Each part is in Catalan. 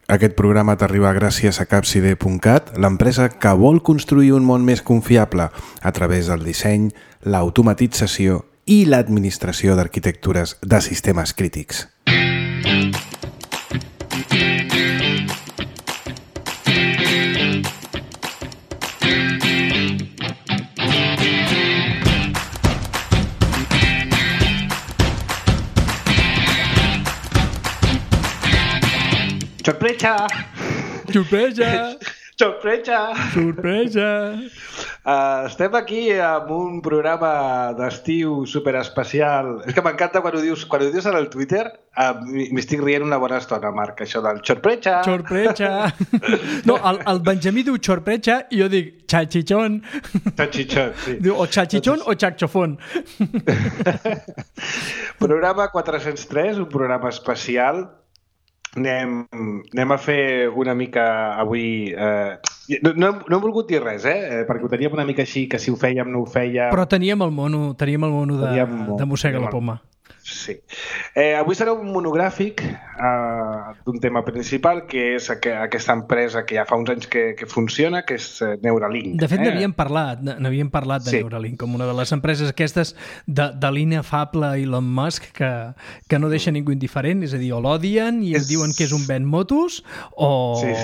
Aquest programa t'arriba gràcies a Capside.cat, l'empresa que vol construir un món més confiable a través del disseny, l'automatització i l'administració d'arquitectures de sistemes crítics. Sorpresa! Sorpresa! Sorpresa! Sorpresa! Estem aquí amb un programa d'estiu superespecial. És que m'encanta quan ho dius en el Twitter. M'estic rient una bona estona, Marc, això del sorpresa! Sorpresa! No, el Benjamí diu sorpresa i jo dic xachichón. Xachichón, sí. Diu o xachichón o xaxofón. Programa 403, un programa especial. Anem a fer una mica avui... No hem volgut dir res, perquè ho teníem una mica així, que si ho fèiem no ho fèiem... Però teníem el mono de Mossega la Poma. Sí. Avui serà un monogràfic d'un tema principal, que és aquesta empresa que ja fa uns anys que funciona, que és Neuralink. De fet, n'havíem parlat de sí. Neuralink, com una de les empreses aquestes de l'inefable Elon Musk, que no deixa ningú indiferent, és a dir, o l'odien i diuen que és un ven motos, o... Sí.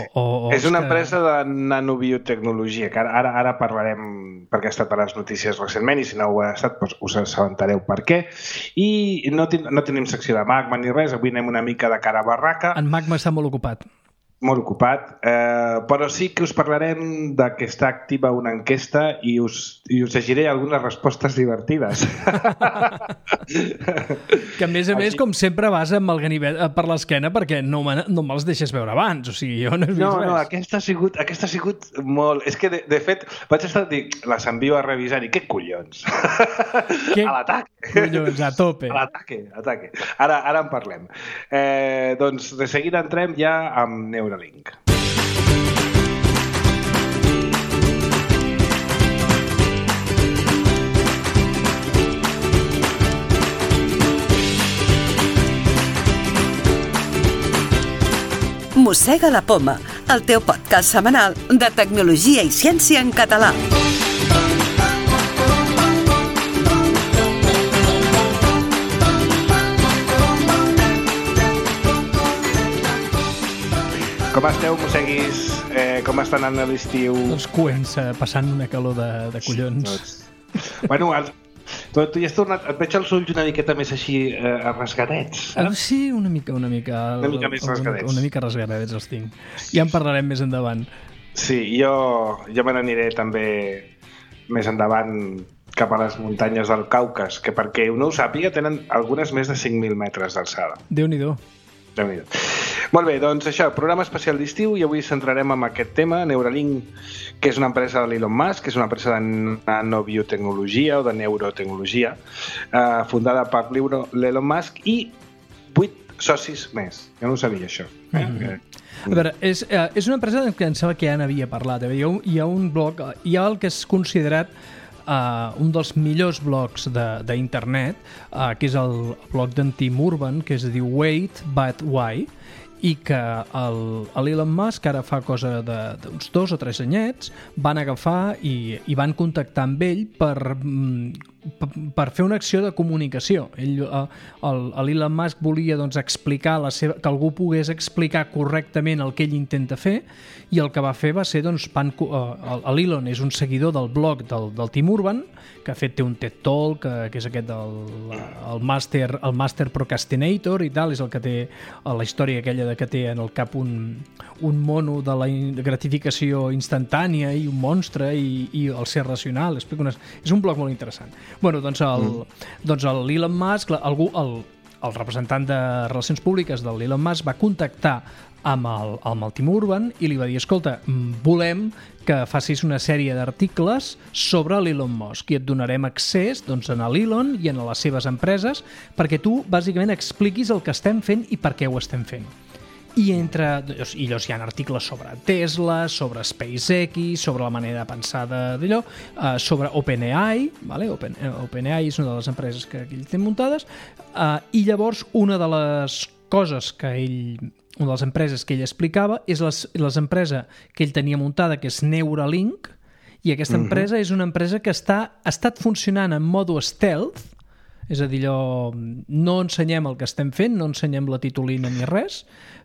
És una empresa de nanobiotecnologia, que ara parlarem, perquè ha estat a les notícies recentment, i si no ho ha estat, doncs us assabentareu per què. I no tenim secció de magma ni res, avui anem una mica de cara a barraca. En magma està molt ocupat. Molt ocupat, però sí que us parlarem de que està activa una enquesta i us llegiré algunes respostes divertides. Que a més, com sempre vas amb el ganivet per l'esquena perquè no me'ls deixes veure abans, o sigui, jo no he vist res. No, aquesta ha sigut molt... És que, de fet, vaig estar a dir, les envio a revisar i què collons? A l'ataque. Collons, a tope. A l'ataque. Ara en parlem. Doncs de seguida entrem ja amb Neuralink. Mossega la Poma, el teu podcast setmanal de tecnologia i ciència en català. Com esteu, mosseguis? Com estan anant a l'estiu? Els coents passant una calor de collons. Bueno, tu ja has tornat... Et veig els ulls una miqueta més així rasgadets. Sí, una mica més rasgadets. Una mica rasgadets els tinc. Ja en parlarem més endavant. Sí, jo me n'aniré també més endavant cap a les muntanyes del Caucas, que perquè no ho sàpiga tenen algunes més de 5.000 metres d'alçada. Déu-n'hi-do. Molt bé, doncs això, programa especial d'estiu i avui centrarem en aquest tema, Neuralink, que és una empresa de l'Elon Musk, que és una empresa de nanobiotecnologia o de neurotecnologia, fundada per l'Elon Musk i 8 socis més. Jo no ho sabia, això. A veure, és una empresa que em sembla que ja n'havia parlat. Hi ha un blog, hi ha el que és considerat un dels millors blogs d'internet, que és el blog d'en Tim Urban, que es diu Wait But Why, i que l'Elon Musk ara fa cosa d'uns 2 o 3 anyets van agafar i van contactar amb ell per fer una acció de comunicació. L'Elon Musk volia explicar que algú pogués explicar correctament el que ell intenta fer, i el que va fer va ser l'Elon és un seguidor del blog del Tim Urban, que de fet té un TED Talk, que és aquest el Master Procrastinator i tal, és el que té la història aquella que té en el cap un mono de la gratificació instantània i un monstre i el ser racional. És un blog molt interessant. Bueno, doncs l'Elon Musk, el representant de Relacions Públiques de l'Elon Musk va contactar amb el Tim Urban i li va dir, escolta, volem que facis una sèrie d'articles sobre l'Elon Musk i et donarem accés a l'Elon i a les seves empreses perquè tu bàsicament expliquis el que estem fent i per què ho estem fent. I llavors hi ha articles sobre Tesla, sobre SpaceX, sobre la manera de pensar d'allò, sobre OpenAI, ¿vale? OpenAI és una de les empreses que ell té muntades, i llavors una de les coses que ell una de les empreses que ell explicava és l'empresa que ell tenia muntada, que és Neuralink, i aquesta empresa és una empresa que ha estat funcionant en modo stealth, és a dir, no ensenyem el que estem fent, no ensenyem la titulina ni res,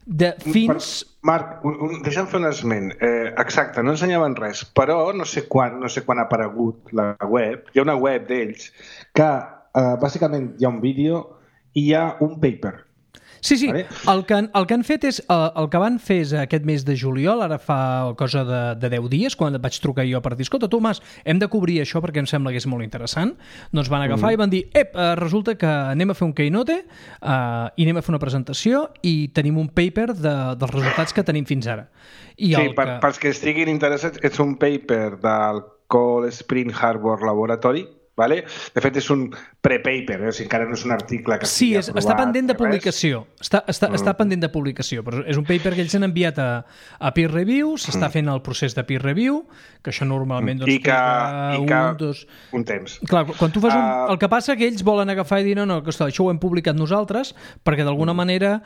Marc, deixa'm fer un esment. Exacte, no ensenyaven res, però no sé quan ha aparegut la web. Hi ha una web d'ells que bàsicament hi ha un vídeo i hi ha un paper. Sí, vale? El que han fet és, el que van fer és aquest mes de juliol, ara fa cosa de 10 dies, quan et vaig trucar jo per dir, escolta, Tomàs, hem de cobrir això perquè em sembla que és molt interessant. Doncs van agafar i van dir, resulta que anem a fer un keynote i anem a fer una presentació i tenim un paper dels resultats que tenim fins ara. Pels que estiguin interessats, és un paper del Cold Spring Harbor Laboratory. Vale? De fet, és un pre-paper, encara no és un article que sí, està pendent de publicació. Està pendent de publicació, però és un paper que ells han enviat a peer review, s'està fent el procés de peer review, que això normalment un temps. Clar, quan tu fas el que passa que ells volen agafar i dir no, que això ho hem publicat nosaltres, perquè d'alguna manera...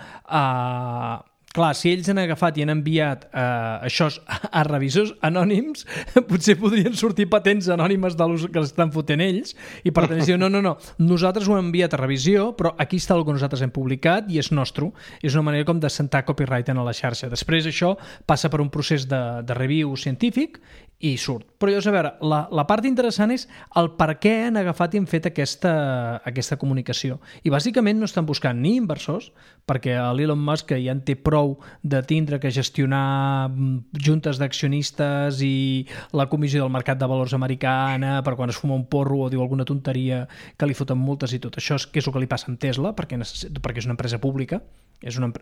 Clar, si ells han agafat i han enviat això a revisors anònims, potser podrien sortir patents anònimes de l'ús que estan fotent ells, i per tant, no, nosaltres ho hem enviat a revisió, però aquí està el que nosaltres hem publicat i és nostre. És una manera com de sentar copyright en la xarxa. Després això passa per un procés de review científic i surt. Però llavors, a veure, la part interessant és el per què han agafat i han fet aquesta comunicació. I bàsicament no estan buscant ni inversors, perquè l'Elon Musk ja en té prou de tindre que gestionar juntes d'accionistes i la Comissió del Mercat de Valors americana per quan es fuma un porro o diu alguna tonteria que li foten multes i tot això, que és el que li passa amb Tesla, perquè és una empresa pública. És una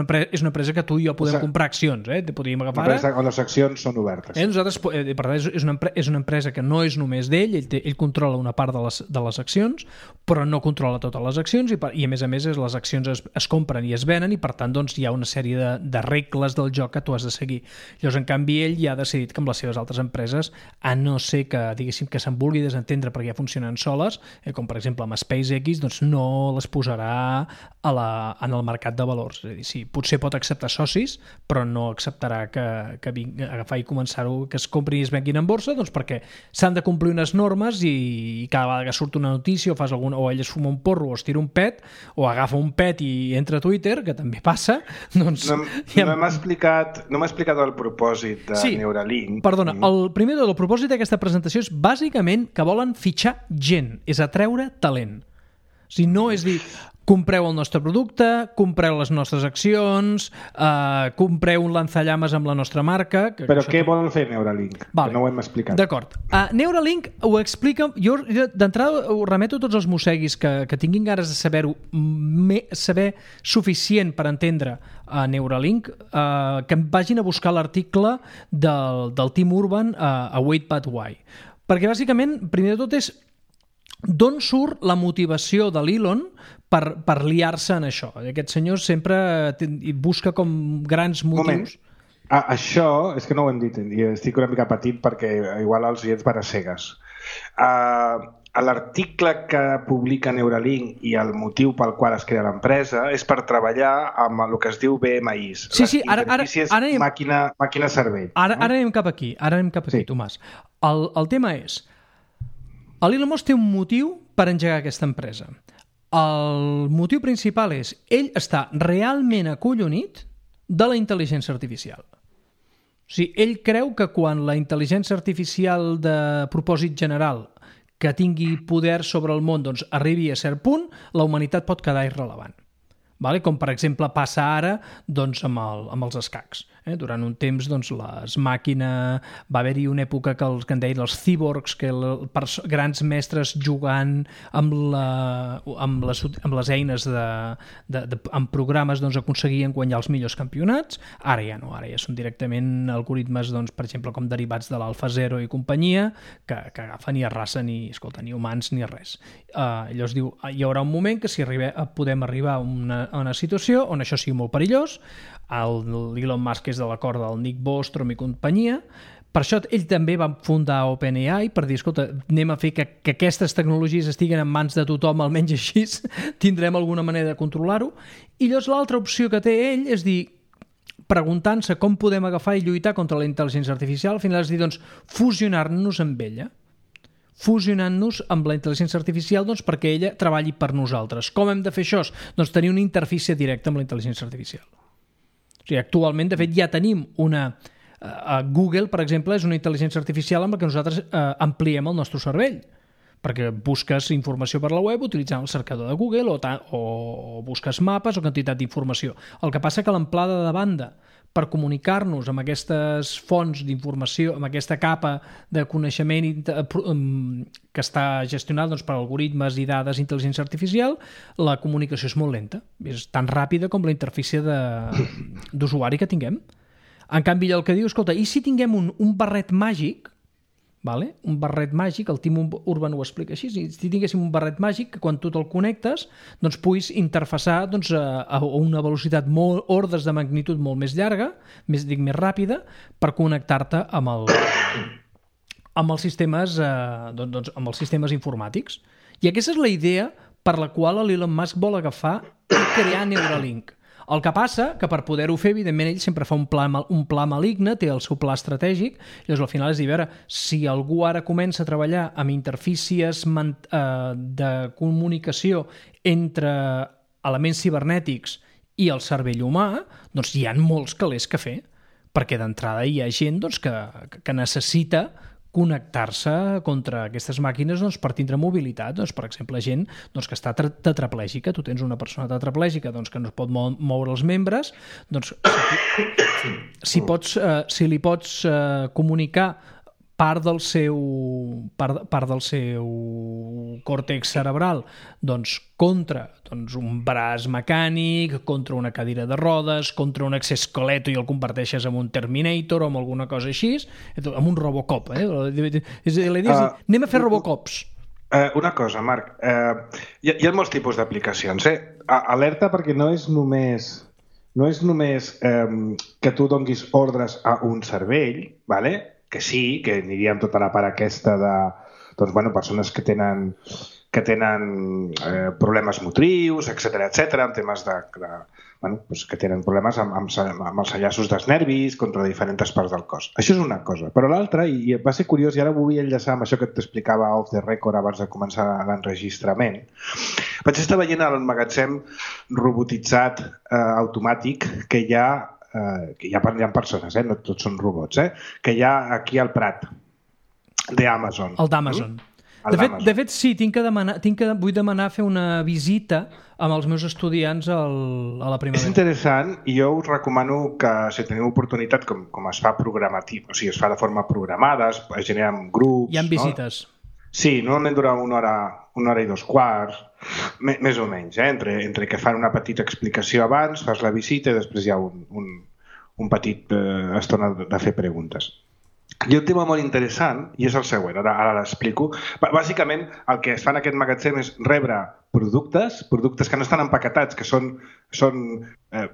empresa que tu i jo podem comprar accions, podríem agafar ara. On les accions són obertes. Nosaltres, per tant, és una empresa que no és només d'ell, ell controla una part de les accions, però no controla totes les accions i a més les accions es compren i es venen i per tant doncs, hi ha una sèrie de regles del joc que tu has de seguir. Llavors, en canvi, ell ja ha decidit que amb les seves altres empreses, a no ser que, diguéssim, que se'n vulgui desentendre perquè ja funcionen soles, com per exemple amb SpaceX, doncs no les posarà en el mercat de valors. És a dir, sí, potser pot acceptar socis, però no acceptarà que vingui a agafar i començar-ho, que es comprin i es venguin en borsa, doncs perquè s'han de complir unes normes i cada vegada que surt una notícia o ell es fuma un porro o es tira un pet o agafa un pet i entra a Twitter, que també passa, doncs... No m'ha explicat el propòsit de Neuralink. Perdona, el primer del propòsit d'aquesta presentació és bàsicament que volen fitxar gent, és atreure talent. O sigui, no és dir, compreu el nostre producte, compreu les nostres accions, compreu un lanzallames amb la nostra marca... Però què volen fer Neuralink? Vale. No ho hem explicat. D'acord. Neuralink ho explica... Jo d'entrada ho remeto a tots els mosseguis que tinguin ganes de saber suficient per entendre Neuralink, que vagin a buscar l'article del Tim Urban a Wait But Why. Perquè bàsicament, primer de tot és d'on surt la motivació de l'Elon per liar-se en això. Aquest senyor sempre busca com grans motius. Això, és que no ho hem dit, i estic una mica petit perquè igual els oients van a cegues. L'article que publica Neuralink i el motiu pel qual es crea l'empresa és per treballar amb el que es diu BMIs. Sí, ara màquina-cervell. Ara anem cap aquí, Tomàs. El tema és... L'Elon Musk té un motiu per engegar aquesta empresa. El motiu principal és ell està realment acollonit de la intel·ligència artificial. O sigui, ell creu que quan la intel·ligència artificial de propòsit general que tingui poder sobre el món doncs, arribi a cert punt, la humanitat pot quedar irrelevant. Vale? Com per exemple passa ara doncs, amb els escacs. Durant un temps les màquines... Va haver-hi una època que en deien els cyborgs, que grans mestres jugant amb les eines amb programes aconseguien guanyar els millors campionats. Ara ja no, ara ja són directament algoritmes, per exemple, com derivats de l'AlphaZero i companyia, que agafen i arrasen i, escolta, ni humans ni res. Llavors diu, hi haurà un moment que si podem arribar a una situació on això sigui molt perillós, l'Elon Musk és de l'acord del Nick Bostrom i companyia, Per això ell també va fundar OpenAI per dir, escolta, anem a fer que aquestes tecnologies estiguen en mans de tothom, almenys així tindrem alguna manera de controlar-ho. I llavors l'altra opció que té ell és dir, preguntant-se com podem agafar i lluitar contra la intel·ligència artificial, al final és dir, doncs, fusionar-nos amb ella. Fusionant-nos amb la intel·ligència artificial perquè ella treballi per nosaltres. Com hem de fer això? Doncs tenir una interfície directa amb la intel·ligència artificial. O sigui, actualment, de fet, ja tenim una... Google, per exemple, és una intel·ligència artificial amb la que nosaltres ampliem el nostre cervell, perquè busques informació per la web utilitzant el cercador de Google o busques mapes o quantitat d'informació. El que passa que l'amplada de banda per comunicar-nos amb aquestes fonts d'informació, amb aquesta capa de coneixement que està gestionada per algoritmes i dades d'intel·ligència artificial, la comunicació és molt lenta. És tan ràpida com la interfície d'usuari que tinguem. En canvi, el que diu, escolta, i si tinguem un barret màgic, un barret màgic, el Tim Urban ho explica així, si tinguéssim un barret màgic que quan tu te'l connectes doncs puguis interfaçar a una velocitat ordres de magnitud molt més llarga, més ràpida, per connectar-te amb els sistemes informàtics. I aquesta és la idea per la qual l'Elon Musk vol agafar i crear Neuralink. El que passa que per poder-ho fer, evidentment, ell sempre fa un pla maligne, té el seu pla estratègic, i llavors al final és dir, a veure, si algú ara comença a treballar amb interfícies de comunicació entre elements cibernètics i el cervell humà, doncs hi ha molts calés que fer, perquè d'entrada hi ha gent que necessita connectar-se contra aquestes màquines per tindre mobilitat. Per exemple, gent que està tetraplègica. Tu tens una persona tetraplègica que no es pot moure els membres, si li pots comunicar part del seu còrtex cerebral contra un braç mecànic, contra una cadira de rodes, contra un exoesquelet i el converteixes en un Terminator o en alguna cosa així, amb un Robocop. Anem a fer Robocops. Una cosa, Marc. Hi ha molts tipus d'aplicacions. Alerta, perquè no és només que tu donguis ordres a un cervell, que sí, que aniríem tota la part aquesta de persones que tenen problemes motrius, etc, en temes que tenen problemes amb els enllaços dels nervis contra diferents parts del cos. Això és una cosa. Però l'altra, i va ser curiós, i ara vull enllaçar amb això que t'explicava off the record abans de començar l'enregistrament, vaig estar veient el magatzem robotitzat automàtic que hi ha persones, no tots són robots, que hi ha aquí al Prat, d'Amazon. El d'Amazon. De fet, sí, vull demanar fer una visita amb els meus estudiants a la primavera. És interessant, i jo us recomano que, si teniu oportunitat, com es fa programatiu, o sigui, es fa de forma programada, es generen grups... Hi ha visites. Sí, normalment dura una hora i 2/4, més o menys, entre que fan una petita explicació abans, fas la visita i després hi ha un petit estona de fer preguntes. Hi ha un tema molt interessant, i és el següent, ara l'explico. Bàsicament, el que es fa en aquest magatzem és rebre productes que no estan empaquetats, que són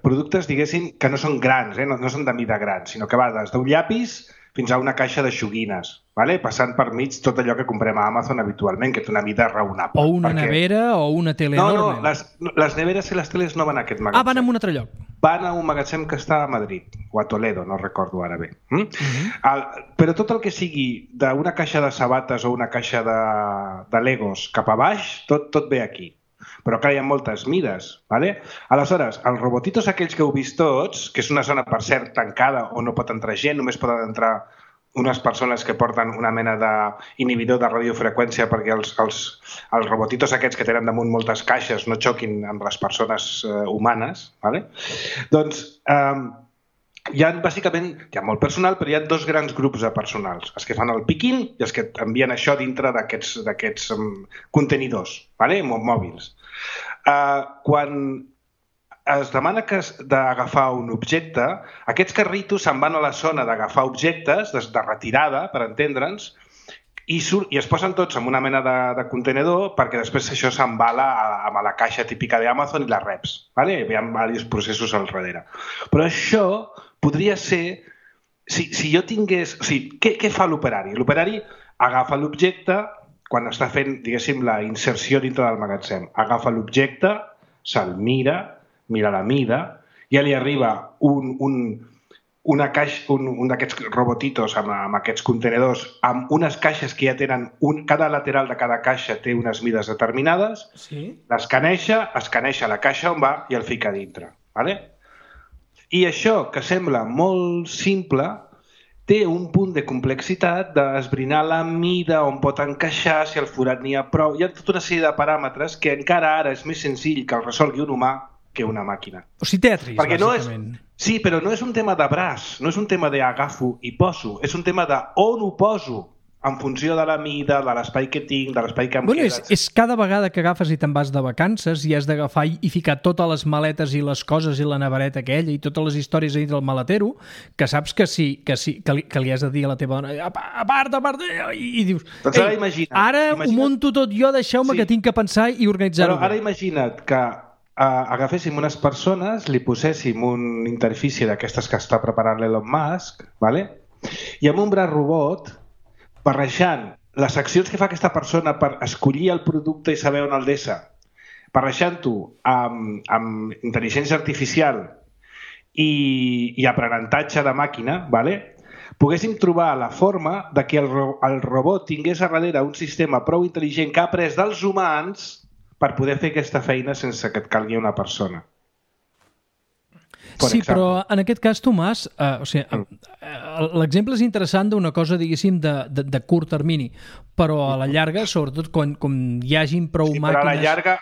productes, diguéssim, que no són grans, no són de mida gran, sinó que va des d'un llapis fins a una caixa de joguines, passant per mig tot allò que comprem a Amazon habitualment, que té una mida raonable. O una nevera o una tele enorme. No, les neveres i les teles no van a aquest magatzem. Van a un altre lloc. Van a un magatzem que està a Madrid, o a Toledo, no recordo ara bé. Però tot el que sigui d'una caixa de sabates o una caixa de Legos cap a baix, tot ve aquí. Però clar, hi ha moltes mides. Aleshores, els robotitos aquells que heu vist tots, que és una zona, per cert, tancada on no pot entrar gent, només poden entrar unes persones que porten una mena d'inhibidor de radiofreqüència perquè els robotitos aquests que tenen damunt moltes caixes no xoquin amb les persones humanes. Doncs bàsicament hi ha molt personal, però hi ha dos grans grups de personals, els que fan el picking i els que envien això dintre d'aquests contenidors mòbils. Quan es demana d'agafar un objecte, aquests carritos se'n van a la zona d'agafar objectes, de retirada, per entendre'ns, i es posen tots en una mena de contenedor perquè després això s'embala amb la caixa típica d'Amazon i la reps. Hi ha diversos processos al darrere. Però això podria ser si jo tingués... O sigui, què fa l'operari? L'operari agafa l'objecte quan està fent, diguéssim, la inserció dintre del magatzem. Agafa l'objecte, se'l mira la mida, ja li arriba un d'aquests robotitos amb aquests contenedors, amb unes caixes que ja tenen... Cada lateral de cada caixa té unes mides determinades, l'escaneja la caixa on va i el fica dintre. Vale? I això, que sembla molt simple, té un punt de complexitat d'esbrinar la mida, on pot encaixar, si al forat n'hi ha prou. Hi ha tota una sèrie de paràmetres que encara ara és més senzill que el resolgui un humà que una màquina. O sigui, Tetris, bàsicament. Sí, però no és un tema de braç, no és un tema d'agafo i poso, és un tema d'on ho poso, en funció de la mida, de l'espai que tinc, de l'espai que em queda. És cada vegada que agafes i te'n vas de vacances i has d'agafar i ficar totes les maletes i les coses i la nevereta aquella i totes les històries a dintre del maletero, que saps que li has de dir a la teva dona a part, i dius ara ho monto tot jo, deixeu-me que tinc que pensar i organitzar-ho. Però ara imagina't que agaféssim unes persones, li poséssim una interfície d'aquestes que està preparant l'Elon Musk, vale? I amb un braç robot barrejant les accions que fa aquesta persona per escollir el producte i saber on el deixa, barrejant-ho amb intel·ligència artificial i aprenentatge de màquina, vale? Poguéssim trobar la forma de que el robot tingués a darrere un sistema prou intel·ligent que ha après dels humans per poder fer aquesta feina sense que et calgui una persona. Sí, però en aquest cas, Tomàs, l'exemple és interessant d'una cosa, diguéssim, de curt termini, però a la llarga, sobretot quan hi hagin prou màquines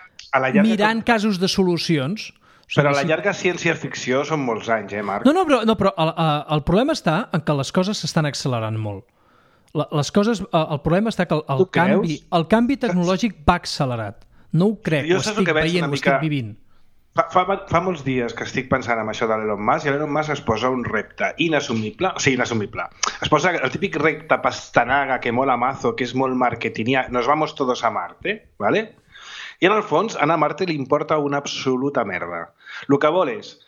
mirant casos de solucions... Però a la llarga ciència-ficció són molts anys, Marc? No, però el problema està en que les coses s'estan accelerant molt. El problema està que el canvi tecnològic va accelerat. No ho crec, ho estic veient, ho estic vivint. Fa molts dies que estic pensant en això de l'Elon Musk i l'Elon Musk es posa un repte inassumible. Es posa el típic repte pastanaga que mola mazo, que és molt marketingià. Nos vamos todos a Marte, ¿vale? I en el fons, anar a Marte li importa una absoluta merda. El que vol és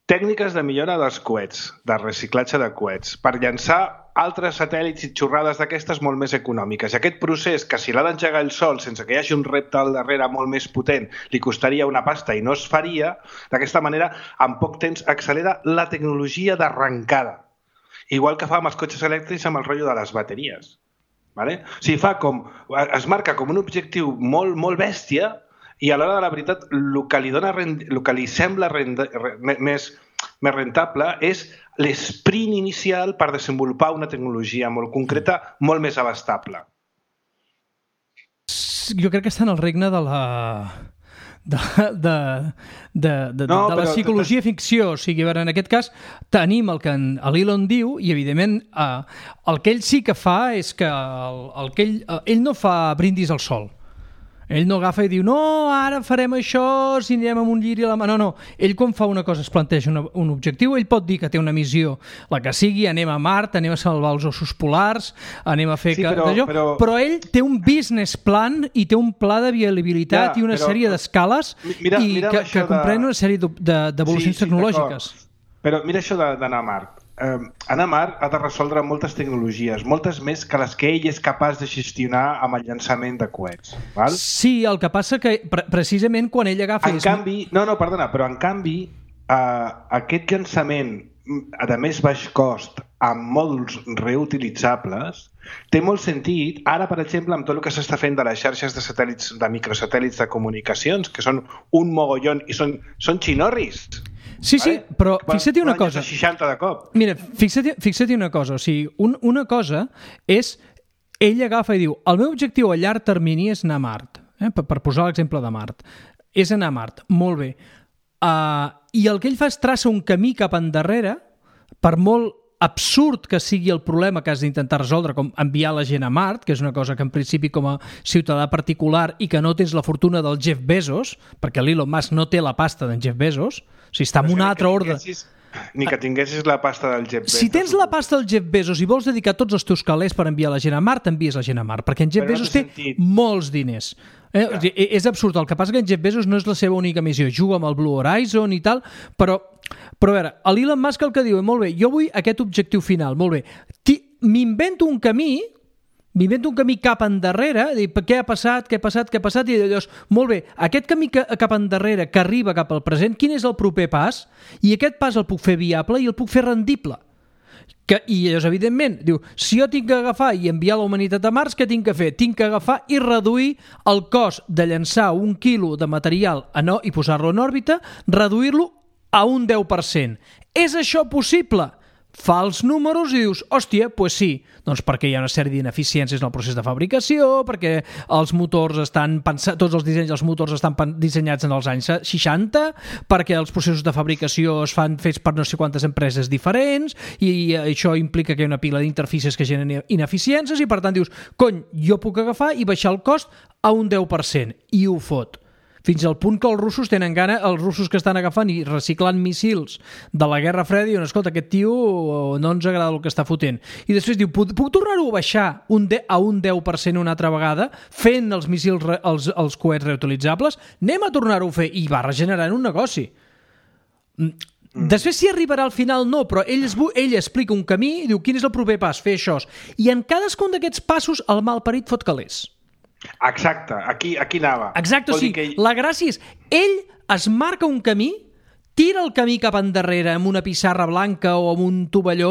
tècniques de millora dels coets, de reciclatge de coets, per llançar altres satèl·lits i xorrades d'aquestes molt més econòmiques. I aquest procés, que si l'ha d'engegar el sol sense que hi hagi un repte al darrere molt més potent, li costaria una pasta i no es faria, d'aquesta manera, en poc temps accelera la tecnologia d'arrencada. Igual que fa amb els cotxes elèctrics amb el rotllo de les bateries. Vale? O sigui, es marca com un objectiu molt, molt bèstia i a l'hora de la veritat el que li sembla més rentable és l'esprint inicial per desenvolupar una tecnologia molt concreta, molt més abastable. Jo crec que està en el regne de la... de la psicologia ficció. O sigui, en aquest cas tenim el que l'Elon diu i evidentment el que ell sí que fa és que ell no fa brindis al sol. Ell no agafa i diu, no, ara farem això si anirem amb un lliri a la mà. No. Ell quan fa una cosa es planteja un objectiu, ell pot dir que té una missió, la que sigui, anem a Mart, anem a salvar els ossos polars, anem a fer... Sí, però ell té un business plan i té un pla de viabilitat i una sèrie d'escales que comprèn una sèrie d'evolucions tecnològiques. Però mira això d'anar a Mart. Anar a Mart ha de resoldre moltes tecnologies, moltes més que les que ell és capaç de gestionar amb el llançament de coets. Val? Sí, el que passa que precisament quan ell agafa... Però en canvi, aquest llançament de més baix cost amb mòduls reutilitzables té molt sentit, ara per exemple amb tot el que s'està fent de les xarxes de satèl·lits, de microsatèl·lits de comunicacions, que són un mogollon i són xinorris. Sí, però fixa't una cosa. 60 de cop. Mira, fixa't una cosa. O sigui, una cosa és ell agafa i diu el meu objectiu a llarg termini és anar a Mart. Per posar l'exemple de Mart. És anar a Mart. Molt bé. I el que ell fa és traça un camí cap endarrere, per molt absurd que sigui el problema que has d'intentar resoldre, com enviar la gent a Mart, que és una cosa que en principi com a ciutadà particular i que no tens la fortuna del Jeff Bezos, perquè l'Elon Musk no té la pasta d'en Jeff Bezos, o sigui, està en un altre ordre. Ni que tinguessis la pasta del Jeff Bezos. Si tens la pasta del Jeff Bezos i vols dedicar tots els teus calés per enviar la gent a Mart, envies la gent a Mart, perquè en Jeff Bezos té molts diners. És absurd. El que passa que en Jeff Bezos no és la seva única missió. Juga amb el Blue Horizon i tal, però a veure, l'Elon Musk el que diu, molt bé, jo vull aquest objectiu final, molt bé. M'invento un camí cap endarrere, què ha passat, i llavors, molt bé, aquest camí cap endarrere que arriba cap al present, quin és el proper pas? I aquest pas el puc fer viable i el puc fer rendible. I llavors, evidentment, diu, si jo tinc que agafar i enviar la humanitat a Mars, què tinc que fer? Tinc que agafar i reduir el cost de llançar 1 quilo de material i posar-lo en òrbita, reduir-lo a un 10%. És això possible? Fa els números i dius, hòstia, doncs sí, doncs perquè hi ha una sèrie d'ineficiències en el procés de fabricació, perquè els motors estan pensats, tots els dissenys dels motors estan dissenyats en els anys 60, perquè els processos de fabricació es fan fets per no sé quantes empreses diferents, i això implica que hi ha una pila d'interfícies que generen ineficiències, i per tant dius, cony, jo puc agafar i baixar el cost a un 10%, i ho fot. Fins al punt que els russos tenen gana, els russos que estan agafant i reciclant missils de la Guerra Freda, diuen, escolta, aquest tio no ens agrada el que està fotent. I després diu, puc tornar-ho a baixar a un 10% una altra vegada, fent els missils, els coets reutilitzables? Anem a tornar-ho a fer. I va regenerant un negoci. Després, si arribarà al final, no, però ell explica un camí i diu, quin és el proper pas? Fer això. I en cadascun d'aquests passos, el malparit fot calés. Exacte, aquí anava. Exacte, o sigui, la gràcia és, ell es marca un camí, tira el camí cap endarrere amb una pissarra blanca o amb un tovalló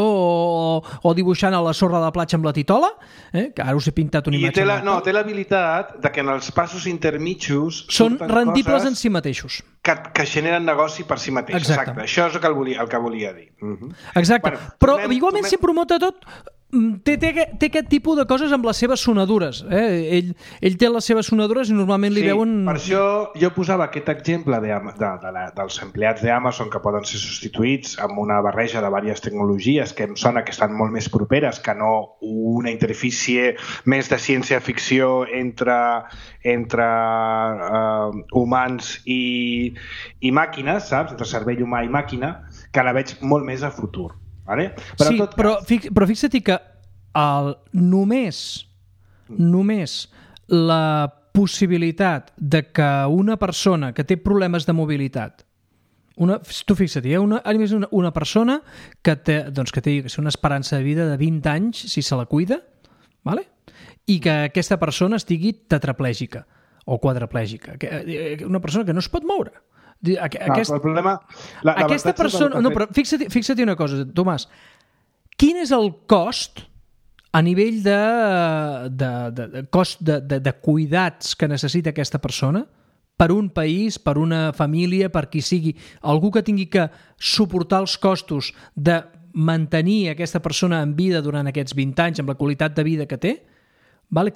o dibuixant a la sorra de la platja amb la titola, que ara us he pintat una imatge. Té l'habilitat de que en els passos intermitjos són rendibles en si mateixos. Que generen negoci per si mateix. Exacte. Això és el que volia dir. Exacte. Però igualment sempre ho mota tot. Té aquest tipus de coses amb les seves sonadures. Ell té les seves sonadures i normalment li veuen... Per això jo posava aquest exemple dels empleats d'Amazon que poden ser substituïts amb una barreja de diverses tecnologies que em sona que estan molt més properes que no una interfície més de ciència-ficció entre humans i màquines, saps? Entre cervell humà i màquina, que la veig molt més a futur. Vale? Però fixa't que només la possibilitat de que una persona que té problemes de mobilitat, tu fixa't, una persona que té una esperança de vida de 20 anys si se la cuida, vale? I que aquesta persona estigui tetraplègica o quadriplègica, una persona que no es pot moure. Aquesta persona... No, però fixa't una cosa, Tomàs. Quin és el cost a nivell de cuidats que necessita aquesta persona per un país, per una família, per qui sigui? Algú que tingui que suportar els costos de mantenir aquesta persona en vida durant aquests 20 anys amb la qualitat de vida que té?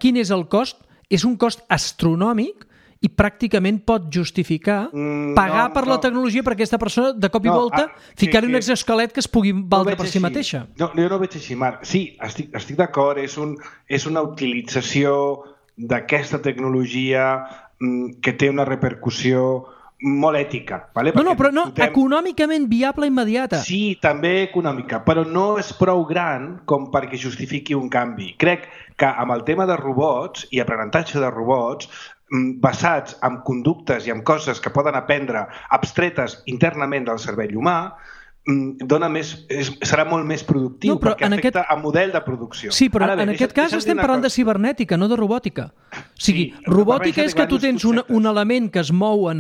Quin és el cost? És un cost astronòmic i pràcticament pot justificar pagar per la tecnologia per aquesta persona de cop i volta ficar-hi un exoesquelet que es pugui valdre per si mateixa. Jo no ho veig així, Marc. Sí, estic d'acord, és una utilització d'aquesta tecnologia que té una repercussió molt ètica. Però econòmicament viable immediata. Sí, també econòmica, però no és prou gran com perquè justifiqui un canvi. Crec que amb el tema de robots i aprenentatge de robots basats en conductes i en coses que poden aprendre abstretes internament del cervell humà, serà molt més productiu perquè afecta el model de producció. Sí, però en aquest cas estem parlant de cibernètica, no de robòtica. O sigui, robòtica és que tu tens un element que es mou,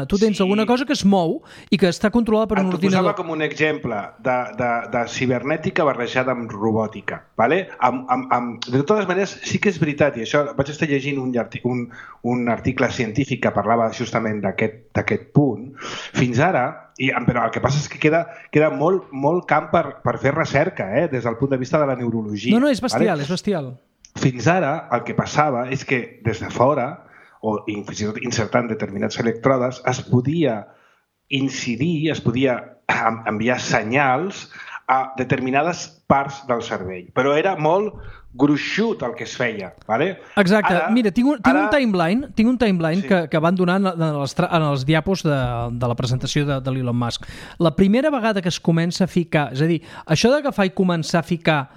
tu tens alguna cosa que es mou i que està controlada per un ordinador. T'ho posava com un exemple de cibernètica barrejada amb robòtica. De totes maneres, sí que és veritat, i això vaig estar llegint un article científic que parlava justament d'aquest punt. Fins ara, però el que passa és que queda molt camp per fer recerca, des del punt de vista de la neurologia. No, és bestial, és bestial. Fins ara el que passava és que des de fora, o fins i tot insertant determinats electrodes, es podia incidir, es podia enviar senyals a determinades parts del cervell. Però era molt gruixut el que es feia. Vale? Exacte. Mira, tinc un timeline sí. que van donar en els diapos de la presentació de l'Elon Musk. La primera vegada que es comença a ficar, és a dir, això d'agafar i començar a ficar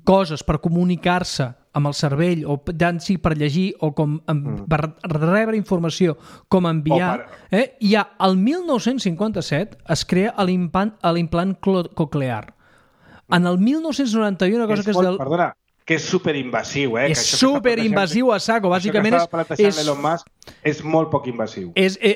coses per comunicar-se amb el cervell, o tant sigui per llegir o com per rebre informació, com enviar, ja el 1957 es crea l'implant coclear. En el 1991 una cosa que és del... Perdona, que és superinvasiu, És superinvasiu a saco, bàsicament és molt poc invasiu.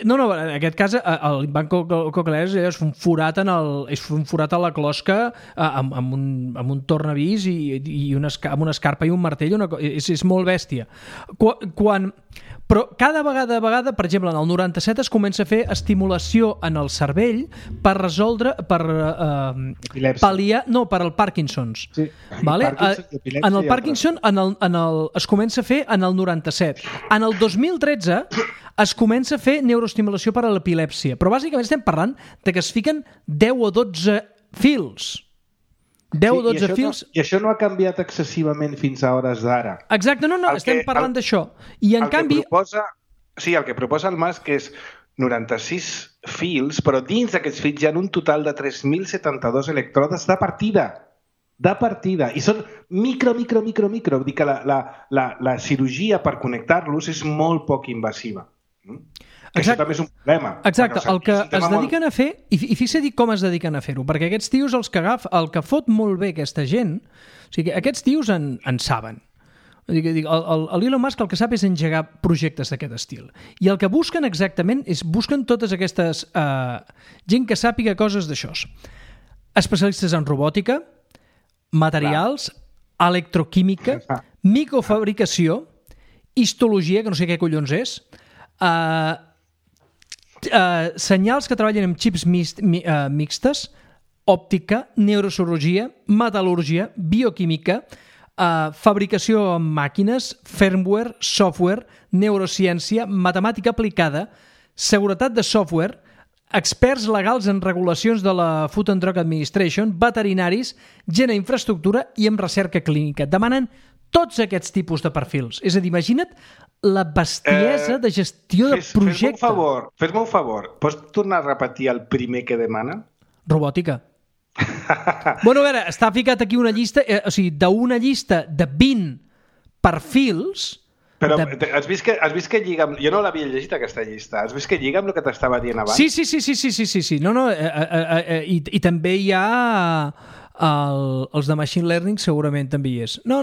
No, en aquest cas l'implant coclear és un forat a la closca amb un tornavís i amb una escarpa i un martell, és molt bèstia. Però cada vegada, per exemple, en el 97 es comença a fer estimulació en el cervell per resoldre, per pal·liar, no, per al Parkinson's. Sí. Vale? En el Parkinson es comença a fer en el 97. En el 2013 es comença a fer neuroestimulació per a l'epilèpsia, però bàsicament estem parlant de que es fiquen 10 o 12 fils. 10 o 12 fils... I això no ha canviat excessivament fins a hores d'ara. Exacte, estem parlant d'això. I en canvi... El que proposa el Musk és 96 fils, però dins d'aquests fils hi ha un total de 3.072 electrodes de partida. I són micro. Vull dir que la cirurgia per connectar-los és molt poc invasiva. Això també és un problema. Exacte, el que es dediquen a fer, i fixa-t'hi com es dediquen a fer-ho, perquè aquests tios el que fot molt bé aquesta gent, o sigui, aquests tios en saben. L'Elon Musk el que sap és engegar projectes d'aquest estil. I el que busquen exactament és busquen totes aquestes gent que sàpiga coses d'això. Especialistes en robòtica, materials, electroquímica, microfabricació, histologia, que no sé què collons és, senyals que treballen amb xips mixtes, òptica, neurocirurgia, metal·lúrgia, bioquímica, fabricació amb màquines, firmware, software, neurociència, matemàtica aplicada, seguretat de software, experts legals en regulacions de la Food and Drug Administration, veterinaris, gent a infraestructura i amb recerca clínica. Demanen tots aquests tipus de perfils. És a dir, imagina't la bestiesa de gestió de projecte. Fes-me un favor. Pots tornar a repetir el primer que demana? Robòtica. Bueno, a veure, està ficat aquí una llista, o sigui, d'una llista de 20 perfils... Però has vist que lliga amb... Jo no l'havia llegit, aquesta llista. Has vist que lliga amb el que t'estava dient abans? Sí. No, i també hi ha... els de Machine Learning segurament també hi és. No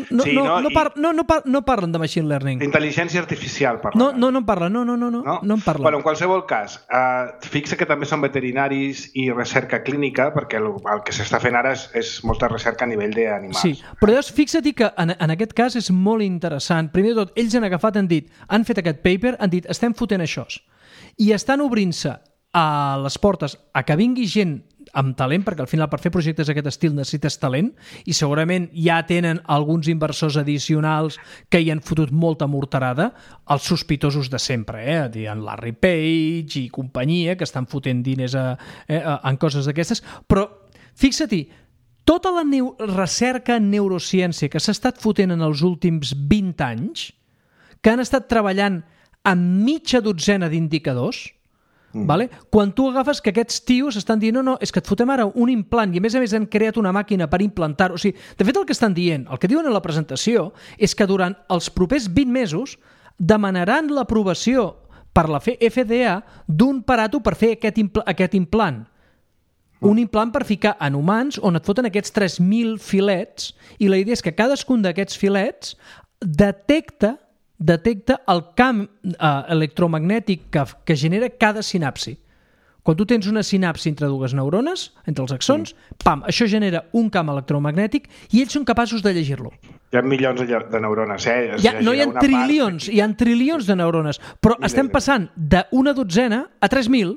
parlen de Machine Learning. Intel·ligència artificial parlen. No en parlen. No en parlen. Bueno, en qualsevol cas, fixa que també són veterinaris i recerca clínica, perquè el que s'està fent ara és molta recerca a nivell d'animals. Sí, però llavors fixa't que en aquest cas és molt interessant. Primer de tot, ells han agafat, han fet aquest paper, han dit, estem fotent això. I estan obrint-se a les portes a que vingui gent amb talent, perquè al final per fer projectes d'aquest estil necessites talent, i segurament ja tenen alguns inversors addicionals que hi han fotut molta morterada, els sospitosos de sempre, en Larry Page i companyia, que estan fotent diners en coses d'aquestes, però fixa-t'hi, tota la recerca en neurociència que s'ha estat fotent en els últims 20 anys, que han estat treballant amb mitja dotzena d'indicadors, vale? Quan tu agafes que aquests tios estan dient no, és que et fotem ara un implant i a més han creat una màquina per implantar-ho. O sigui, de fet el que estan dient, el que diuen en la presentació és que durant els propers 20 mesos demanaran l'aprovació per la FDA d'un aparato per fer aquest implant. Un implant per ficar en humans on et foten aquests 3.000 filets i la idea és que cadascun d'aquests filets detecta el camp electromagnètic que genera cada sinapsi. Quan tu tens una sinapsi entre dues neurones, entre els axons, això genera un camp electromagnètic i ells són capaços de llegir-lo. Hi ha milions de neurones, No hi ha trilions, hi ha trilions de neurones, però estem passant d'una dotzena a 3.000.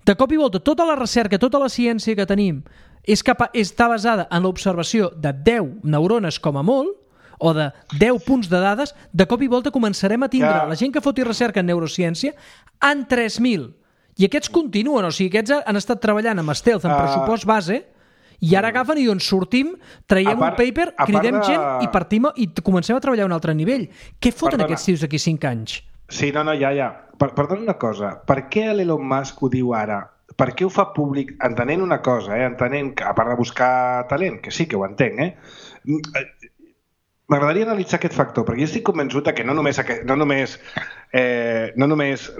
De cop i volta, tota la recerca, tota la ciència que tenim està basada en l'observació de 10 neurones com a molt, o de 10 punts de dades, de cop i volta començarem a tindre la gent que foti recerca en neurociència en 3.000. I aquests continuen, o sigui, aquests han estat treballant amb stealth, en pressupost base, I ara agafen i doncs sortim, traiem un paper, cridem gent i partim i comencem a treballar a un altre nivell. Què foten aquests tios d'aquí 5 anys? Sí, no, ja. Perdona una cosa. Per què l'Elon Musk ho diu ara? Per què ho fa públic? Entenent una cosa, entenent que, a part de buscar talent, que sí que ho entenc, m'agradaria analitzar aquest factor, perquè jo estic convençut que no només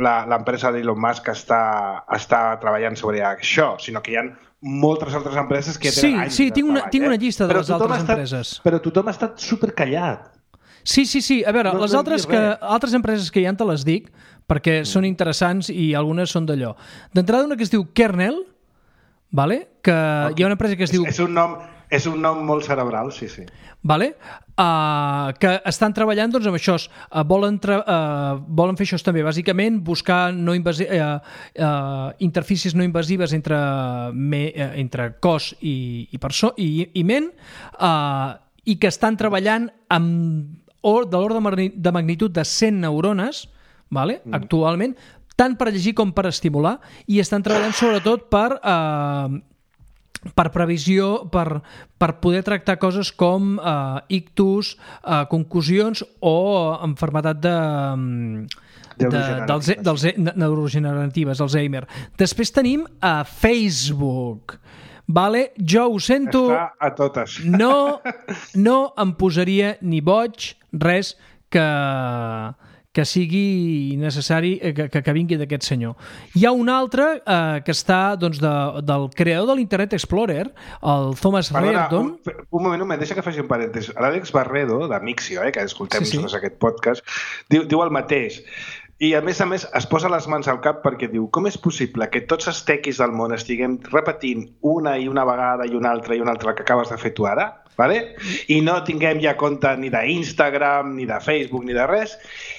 l'empresa d'Elon Musk està treballant sobre això, sinó que hi ha moltes altres empreses que tenen anys de treball. Sí, tinc una llista de les altres empreses. Però tothom ha estat supercallat. Sí. A veure, les altres empreses que hi ha te les dic, perquè són interessants i algunes són d'allò. D'entrada una que es diu Kernel, que hi ha una empresa que es diu... És un nom molt cerebral, sí. Que estan treballant amb això. Volen fer això també, bàsicament buscar interfícies no invasives entre cos i ment, i que estan treballant de l'ordre de magnitud de 100 neurones actualment, tant per llegir com per estimular, i estan treballant sobretot per previsió, per poder tractar coses com ictus, concusions o malalties neurogeneratives, Alzheimer. Després tenim Facebook. Jo ho sento, està a totes. No em posaria ni boig res que sigui necessari que vingui d'aquest senyor. Hi ha un altre que està del creador de l'Internet Explorer, el Thomas Reardon. Un moment, deixa que faci un parèntesi. L'Àlex Barredo, de Mixio, que escoltem tots aquest podcast, diu el mateix. I a més es posa les mans al cap perquè diu: com és possible que tots els tequis del món estiguem repetint una vegada i una altra el que acabes de fer tu ara? I no tinguem ja compte ni d'Instagram, ni de Facebook, ni de res,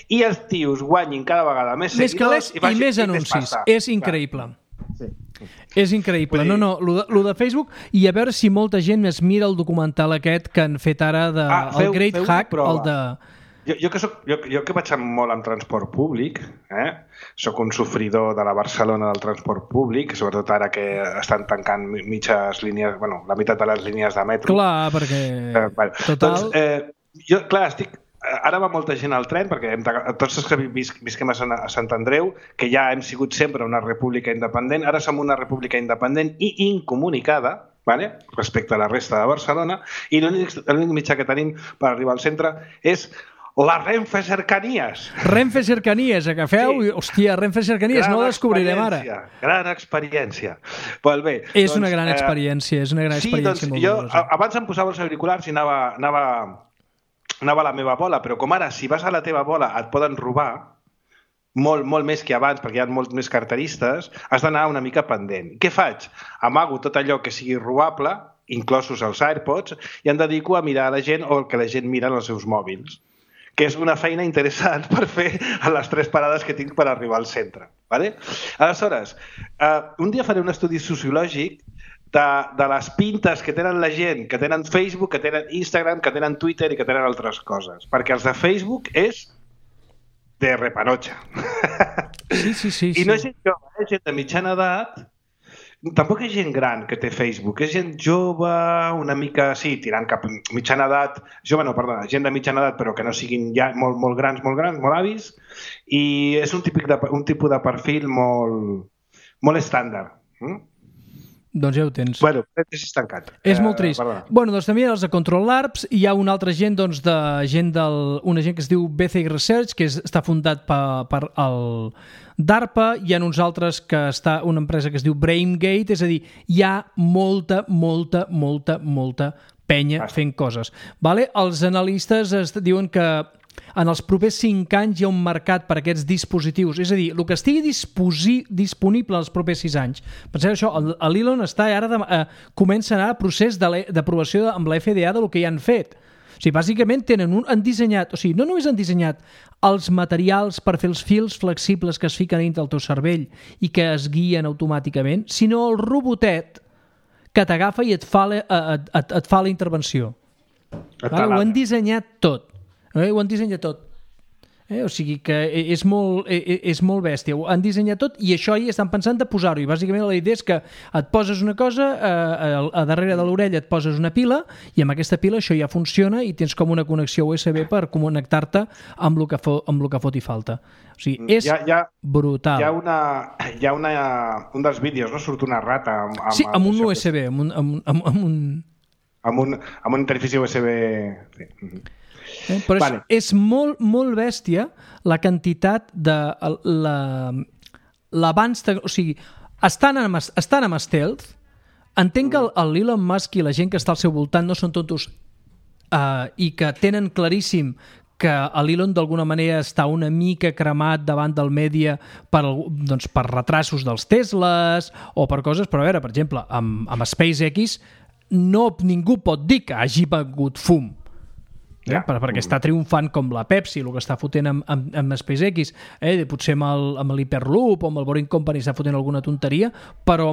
i els tios guanyin cada vegada més seguidors i més anuncis. És increïble. És increïble. No, lo de Facebook, i a veure si molta gent es mira el documental aquest que han fet ara el Great Hack, el de... Jo que vaig molt amb transport públic, soc un sofridor de la Barcelona del transport públic, sobretot ara que estan tancant mitges línies, la meitat de les línies de metro. Clar, perquè... Total... Ara va molta gent al tren, perquè tots els que visquem a Sant Andreu, que ja hem sigut sempre una república independent, ara som una república independent i incomunicada, respecte a la resta de Barcelona, i l'únic mitjà que tenim per arribar al centre és la Renfe Cercanies. Renfe Cercanies, agafeu, hòstia, Renfe Cercanies, no ho descobrirem ara. Gran experiència. És una gran experiència, és una gran experiència molt dolorosa. Abans em posava els auriculars i anava a la meva bola, però com ara, si vas a la teva bola et poden robar, molt més que abans, perquè hi ha molts més carteristes, has d'anar una mica pendent. Què faig? Amago tot allò que sigui robable, inclosos els AirPods, i em dedico a mirar la gent o el que la gent mira en els seus mòbils, que és una feina interessant per fer a les 3 parades que tinc per arribar al centre. Aleshores, un dia faré un estudi sociològic de les pintes que tenen la gent, que tenen Facebook, que tenen Instagram, que tenen Twitter i que tenen altres coses. Perquè els de Facebook és de repanotxa. Sí. I no és gent jove, és gent de mitjana edat. Tampoc és gent gran que té Facebook, és gent jove, una mica, sí, tirant cap mitjana edat, gent de mitjana edat però que no siguin ja molt grans, molt avis, i és un tipus de perfil molt estàndard. Doncs ja ho tens. Parèntesis tancat. És molt trist. Doncs també hi ha els de Control Labs, hi ha una altra gent, una gent que es diu BCI Research, que està fundat per el DARPA, hi ha uns altres que està una empresa que es diu BrainGate, és a dir, hi ha molta penya fent coses. Els analistes diuen que en els propers 5 anys hi ha un mercat per a aquests dispositius, és a dir, el que estigui disponible els propers 6 anys. Penseu això, l'Elon comença a anar a procés d'aprovació amb la FDA del que hi han fet. O sigui, bàsicament han dissenyat, no només han dissenyat els materials per fer els fils flexibles que es fiquen dintre del teu cervell i que es guien automàticament, sinó el robotet que t'agafa i et fa la intervenció. Ho han dissenyat tot. Ho han dissenyat tot. O sigui que és molt bèstia. Ho han dissenyat tot i això hi estan pensant de posar-ho. I bàsicament la idea és que et poses una cosa, a darrere de l'orella et poses una pila i amb aquesta pila això ja funciona i tens com una connexió USB per connectar-te amb el que fot i falta. O sigui, és brutal. Hi ha un dels vídeos, no? Surt una rata amb un USB, amb una interfície USB. Sí. Però és molt, molt bèstia la quantitat de l'avanç... O sigui, estan amb stealth. Entenc que l'Elon Musk i la gent que està al seu voltant no són tontos i que tenen claríssim que l'Elon d'alguna manera està una mica cremat davant del mèdia per retrasos dels Teslas o per coses, però a veure, per exemple, amb SpaceX ningú pot dir que hagi begut fum. Perquè està triomfant com la Pepsi, el que està fotent amb SpaceX, potser amb l'Hyperloop o amb el Boring Company està fotent alguna tonteria, però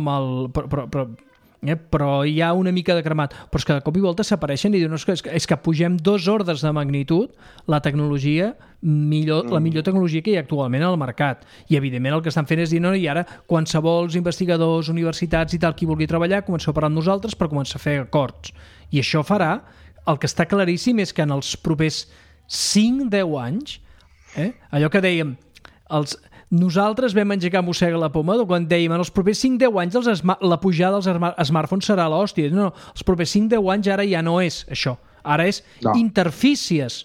hi ha una mica de cremat. Però és que de cop i volta s'apareixen i diuen és que pugem 2 ordres de magnitud la tecnologia, la millor tecnologia que hi ha actualment al mercat. I evidentment el que estan fent és dir i ara qualsevol investigadors, universitats i tal, qui vulgui treballar, comenceu a parlar amb nosaltres per començar a fer acords. I això farà. El que està claríssim és que en els propers 5-10 anys, allò que dèiem, nosaltres vam engegar mossega la poma quan dèiem en els propers 5-10 anys la pujada dels smartphones serà l'hòstia. No, els propers 5-10 anys ara ja no és això. Ara és interfícies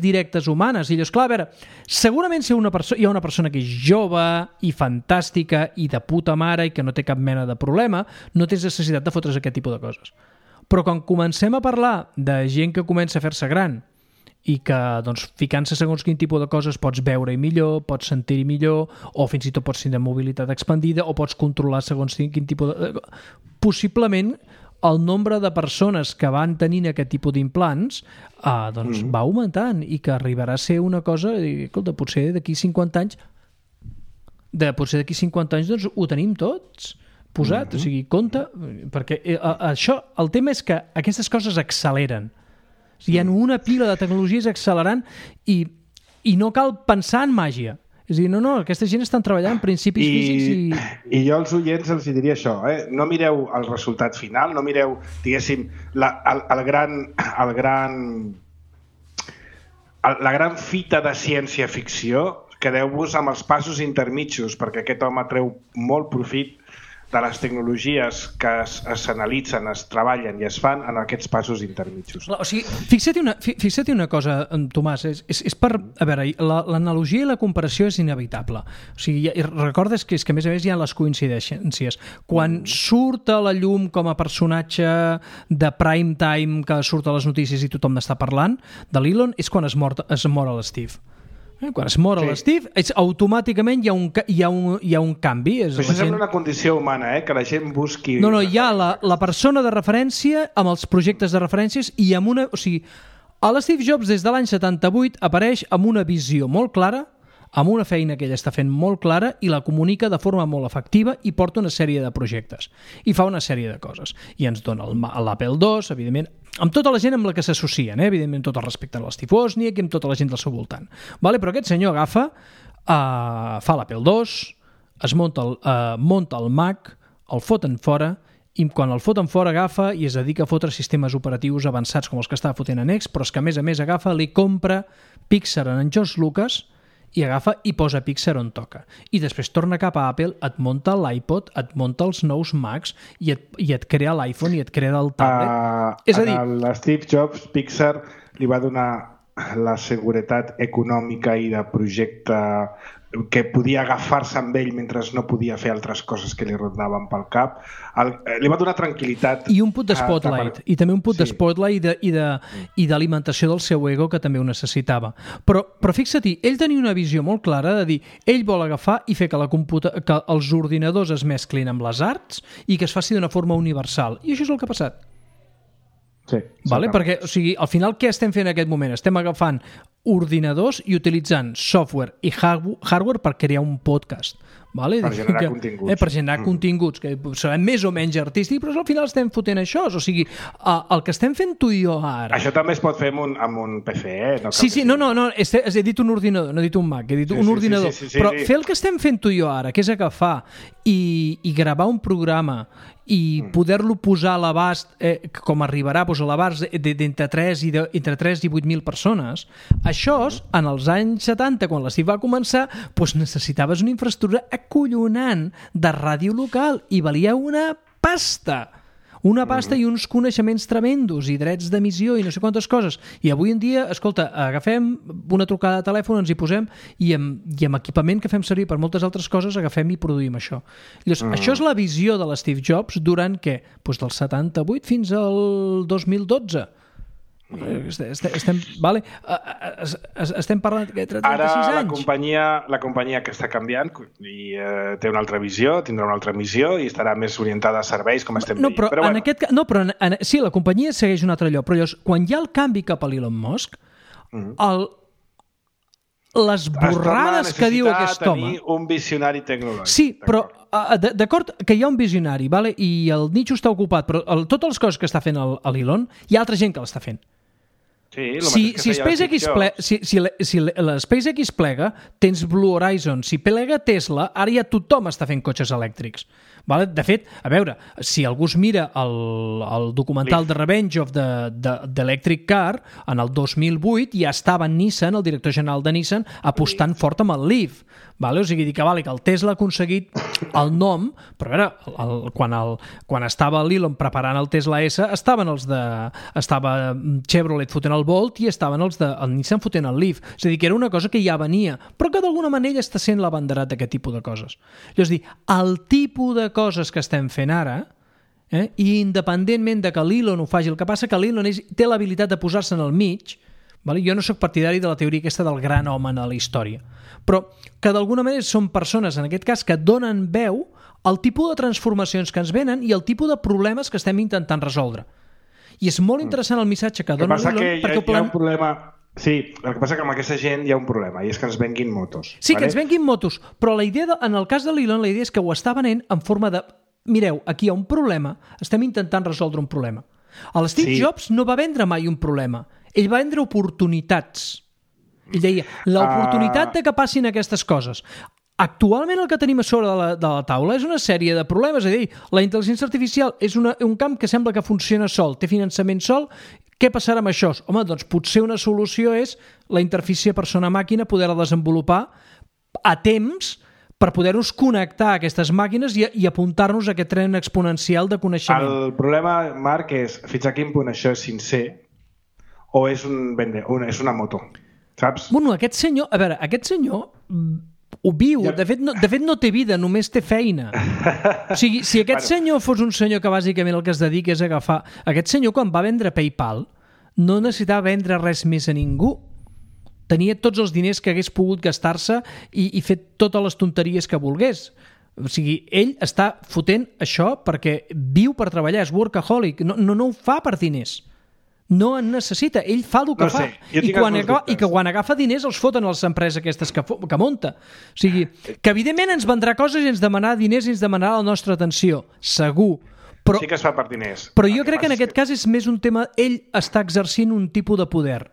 directes humanes. I llavors, clar, a veure, segurament si hi ha una persona que és jove i fantàstica i de puta mare i que no té cap mena de problema, no tens necessitat de fotre's aquest tipus de coses. Però quan comencem a parlar de gent que comença a fer-se gran i que ficant-se segons quin tipus de coses pots veure-hi millor, pots sentir-hi millor o fins i tot pots tenir mobilitat expandida o pots controlar segons quin tipus de... Possiblement el nombre de persones que van tenint aquest tipus d'implants va augmentant i que arribarà a ser una cosa, escolta, potser d'aquí 50 anys ho tenim tots posat, o sigui, compte, perquè això, el tema és que aquestes coses acceleren. O sigui, hi ha una pila de tecnologies accelerant i no cal pensar en màgia. És a dir, no, aquesta gent estan treballant en principis físics i jo als oients els diria això, no mireu el resultat final, no mireu, diguéssim, la gran fita de ciència-ficció, quedeu-vos amb els passos intermitjos, perquè aquest home treu molt profit de les tecnologies que s'analitzen, es treballen i es fan en aquests passos intermitjos. O sigui, fixa't una cosa, Tomàs, és per... A veure, l'analogia i la comparació és inevitable. O sigui, recordes que és que a més hi ha les coincidències. Quan surt a la llum com a personatge de prime time que surt a les notícies i tothom n'està parlant, de l'Elon, és quan es mor l'Steve. Quan es mor l'Steve, automàticament hi ha un canvi. Però això sembla una condició humana, que la gent busqui... No, hi ha la persona de referència amb els projectes de referències i amb una... O sigui, l'Steve Jobs des de l'any 78 apareix amb una visió molt clara, amb una feina que ell està fent molt clara i la comunica de forma molt efectiva i porta una sèrie de projectes. I fa una sèrie de coses. I ens dona l'Apple II, evidentment, amb tota la gent amb la que s'associen, evidentment tot el respecte a l'Steve Wozniak i amb tota la gent del seu voltant. Però aquest senyor agafa, fa l'Apple II, es monta el Mac, el foten fora, i quan el foten fora agafa i es dedica a fotre sistemes operatius avançats com els que estava fotent en X, però és que a més agafa, li compra Pixar en George Lucas i agafa i posa Pixar on toca. I després torna cap a Apple, et munta l'iPod, et munta els nous Macs i et crea l'iPhone i et crea el tablet. És a dir... A Steve Jobs, Pixar li va donar la seguretat econòmica i de projecte que podia agafar-se amb ell mentre no podia fer altres coses que li rondaven pel cap. Li va donar tranquil·litat. I un punt de spotlight. I també un punt de spotlight i d'alimentació del seu ego que també ho necessitava. Però fixa-t'hi, ell tenia una visió molt clara de dir, ell vol agafar i fer que els ordinadors es mesclin amb les arts i que es faci d'una forma universal. I això és el que ha passat. Sí, perquè, o sigui, al final què estem fent en aquest moment? Estem agafant ordinadors i utilitzant software i hardware per crear un podcast. Vale? Per generar continguts. Per generar continguts, que seran més o menys artístics, però al final estem fotent això. O sigui, el que estem fent tu i jo ara... Això també es pot fer amb un PC, No no, he dit un ordinador, no he dit un Mac, he dit un ordinador. Però fer el que estem fent tu i jo ara, que és agafar i gravar un programa i poder-lo posar a l'abast, com arribarà a l'abast d'entre 3 i 8.000 persones, això, en els anys 70, quan l'Steve va començar, necessitaves una infraestructura acollonant de ràdio local i valia una pasta i uns coneixements tremendos i drets d'emissió i no sé quantes coses. I avui en dia, escolta, agafem una trucada de telèfon, ens hi posem i amb equipament que fem servir per moltes altres coses agafem i produïm això. Llavors, això és la visió de l'Steve Jobs durant què? Del 78 fins al 2012. Estem parlant de 36 anys. Ara la companyia que està canviant i té una altra visió, tindrà una altra missió i estarà més orientada a serveis, com estem veient. Sí, la companyia segueix un altre lloc, però llavors, quan hi ha el canvi cap a l'Elon Musk, les borrades que diu aquest home... tenir un visionari tecnològic. Sí, però d'acord que hi ha un visionari, vale? I el nicho està ocupat, però totes les coses que està fent l'Elon, hi ha altra gent que l'està fent. Sí, si l'SpaceX plega, tens Blue Horizon. Si plega Tesla, ara ja tothom està fent cotxes elèctrics. Vale? De fet, a veure, si algú es mira el documental The Revenge of the Electric Car, en el 2008 ja estava Nissan, el director general de Nissan, apostant fort amb el Leaf. Vale? O sigui, que el Tesla ha aconseguit el nom, però a veure, quan estava l'Elon preparant el Tesla S, estava Chevrolet fotent el Bolt i estaven el Nissan fotent el Leaf. És a dir, que era una cosa que ja venia, però que d'alguna manera està sent l'abanderat d'aquest tipus de coses. És a dir, el tipus de coses que estem fent ara, i independentment de que l'Elon ho faci, el que passa que l'Elon té l'habilitat de posar-se en el mig. Jo no sóc partidari de la teoria aquesta del gran home en la història, però que d'alguna manera són persones, en aquest cas, que donen veu al tipus de transformacions que ens venen i al tipus de problemes que estem intentant resoldre. I és molt interessant el missatge que dona l'Elon, perquè hi ha un problema... Sí, el que passa que amb aquesta gent hi ha un problema, i és que ens venguin motos. Sí, que ens venguin motos, però la idea, en el cas de l'Elon, la idea és que ho està venent en forma de... Mireu, aquí hi ha un problema, estem intentant resoldre un problema. L'Steve Jobs no va vendre mai un problema, ell va vendre oportunitats. Ell deia, l'oportunitat de que passin aquestes coses. Actualment el que tenim a sobre de la taula és una sèrie de problemes. És a dir, la intel·ligència artificial és un camp que sembla que funciona sol, té finançament sol. Què passarà amb això? Home, doncs potser una solució és la interfície persona-màquina, poder-la desenvolupar a temps per poder-nos connectar a aquestes màquines i apuntar-nos a aquest tren exponencial de coneixement. El problema, Marc, és fins a quin punt això és sincer o és una moto, saps? Bueno, aquest senyor ho viu, de fet no té vida, només té feina. O sigui, si aquest senyor fos un senyor que bàsicament el que es dedica és a agafar... Aquest senyor, quan va vendre PayPal, no necessitava vendre res més a ningú. Tenia tots els diners que hagués pogut gastar-se i fer totes les tonteries que volgués. O sigui, ell està fotent això perquè viu per treballar, és workaholic, no ho fa per diners. No en necessita, ell fa el que fa. I que quan agafa diners els foten a les empreses aquestes que munta. O sigui, que evidentment ens vendrà coses i ens demanarà diners i ens demanarà la nostra atenció, segur. Però, sí que es fa per diners. Però jo crec que en aquest cas és més un tema... Ell està exercint un tipus de poder.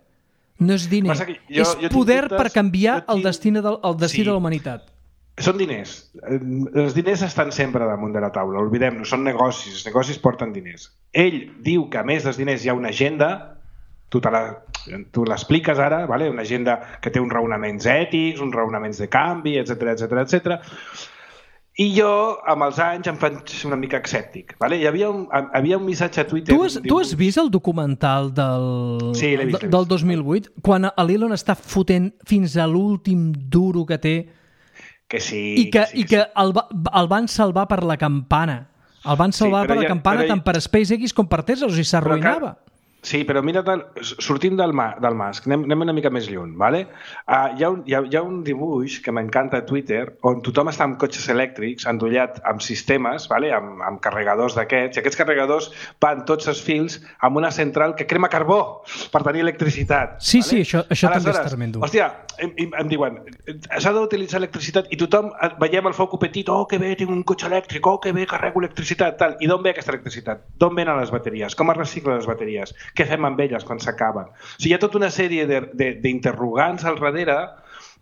No és diner. És poder per canviar el destí de la humanitat. Són diners. Els diners estan sempre damunt de la taula, oblidem-nos, són negocis, els negocis porten diners. Ell diu que a més dels diners hi ha una agenda, tu l'expliques ara, vale? Una agenda que té uns raonaments ètics, uns raonaments de canvi, etc. I jo, amb els anys, em faig una mica escèptic. Vale? Hi havia un missatge a Twitter... Tu has vist el documental del 2008? Quan l'Elon està fotent fins a l'últim duro que té... Que sí, I que el van salvar per la campana. El van salvar per la campana tant per SpaceX com per Tesla, o sigui, s'arruïnava. Sí, però mira, sortint del Musk, anem una mica més lluny, ¿vale? Hi ha un dibuix que m'encanta a Twitter on tothom està amb cotxes elèctrics endollat amb sistemes, ¿vale? amb carregadors d'aquests, i aquests carregadors van tots els fils amb una central que crema carbó per tenir electricitat. Sí, ¿vale? sí, això també és tremendo. Hòstia, em diuen, s'ha d'utilitzar electricitat i tothom veiem el foc petit, oh, que bé, tinc un cotxe elèctric, oh, que bé, carrego electricitat, tal. I d'on ve aquesta electricitat? D'on venen les bateries? Com es reciclen les bateries? Què fem amb elles quan s'acaben? O sigui, hi ha tota una sèrie d'interrogants al darrere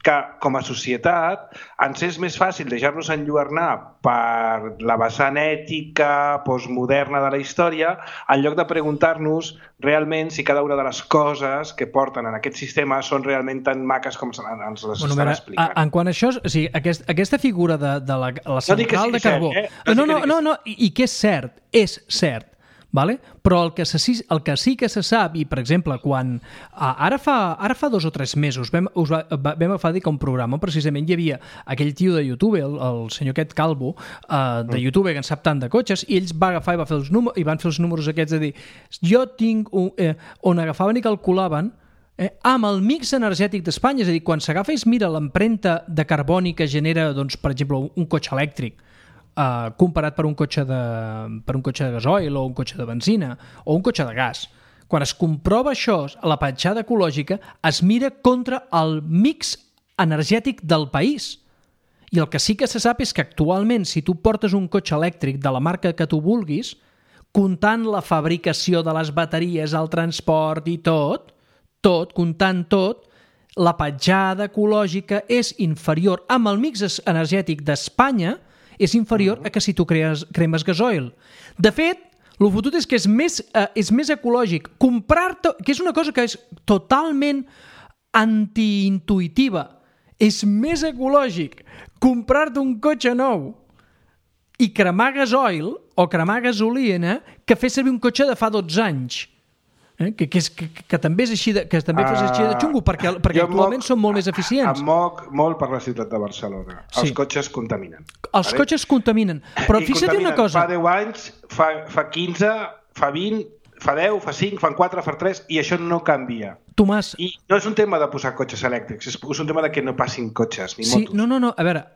que, com a societat, ens és més fàcil deixar-nos enlluernar per la vessant ètica, postmoderna de la història, en lloc de preguntar-nos realment si cada una de les coses que porten en aquest sistema són realment tan maques com ens les estan explicant. En quant a això, o sigui, aquesta figura de la central de carbó... No, i que és cert, vale? Però el que sí que se sap, i per exemple, quan ara fa 2 o 3 mesos vam agafar un programa, precisament hi havia aquell tio de YouTube, el senyor aquest Calvo, de YouTube, que en sap tant de cotxes, i ells va agafar i van fer els números aquests de dir, jo tinc on agafaven i calculaven amb el mix energètic d'Espanya, és a dir, quan s'agafa i es mira l'empremta de carboni que genera, doncs, per exemple, un cotxe elèctric, comparat per un cotxe de gasoil o un cotxe de benzina o un cotxe de gas. Quan es comprova això, la petjada ecològica es mira contra el mix energètic del país. I el que sí que se sap és que actualment, si tu portes un cotxe elèctric de la marca que tu vulguis, comptant la fabricació de les bateries, el transport i tot, comptant tot, la petjada ecològica és inferior amb el mix energètic d'Espanya, és inferior a que si tu cremes gasoil. De fet, el fotut és que és més ecològic comprar-te, que és una cosa que és totalment antiintuitiva, és més ecològic comprar-te un cotxe nou i cremar gasoil o cremar gasolina que fer servir un cotxe de fa 12 anys. Que també és així que també fos així de xungo, perquè actualment són molt més eficients. Em moc molt per la ciutat de Barcelona. Els cotxes contaminen. Els cotxes contaminen. Però fixa't una cosa. Fa 10 anys, fa 15, fa 20, fa 10, fa 5, fa 4, fa 3, i això no canvia. Tomàs... I no és un tema de posar cotxes elèctrics, és un tema de que no passin cotxes ni motos. No. A veure,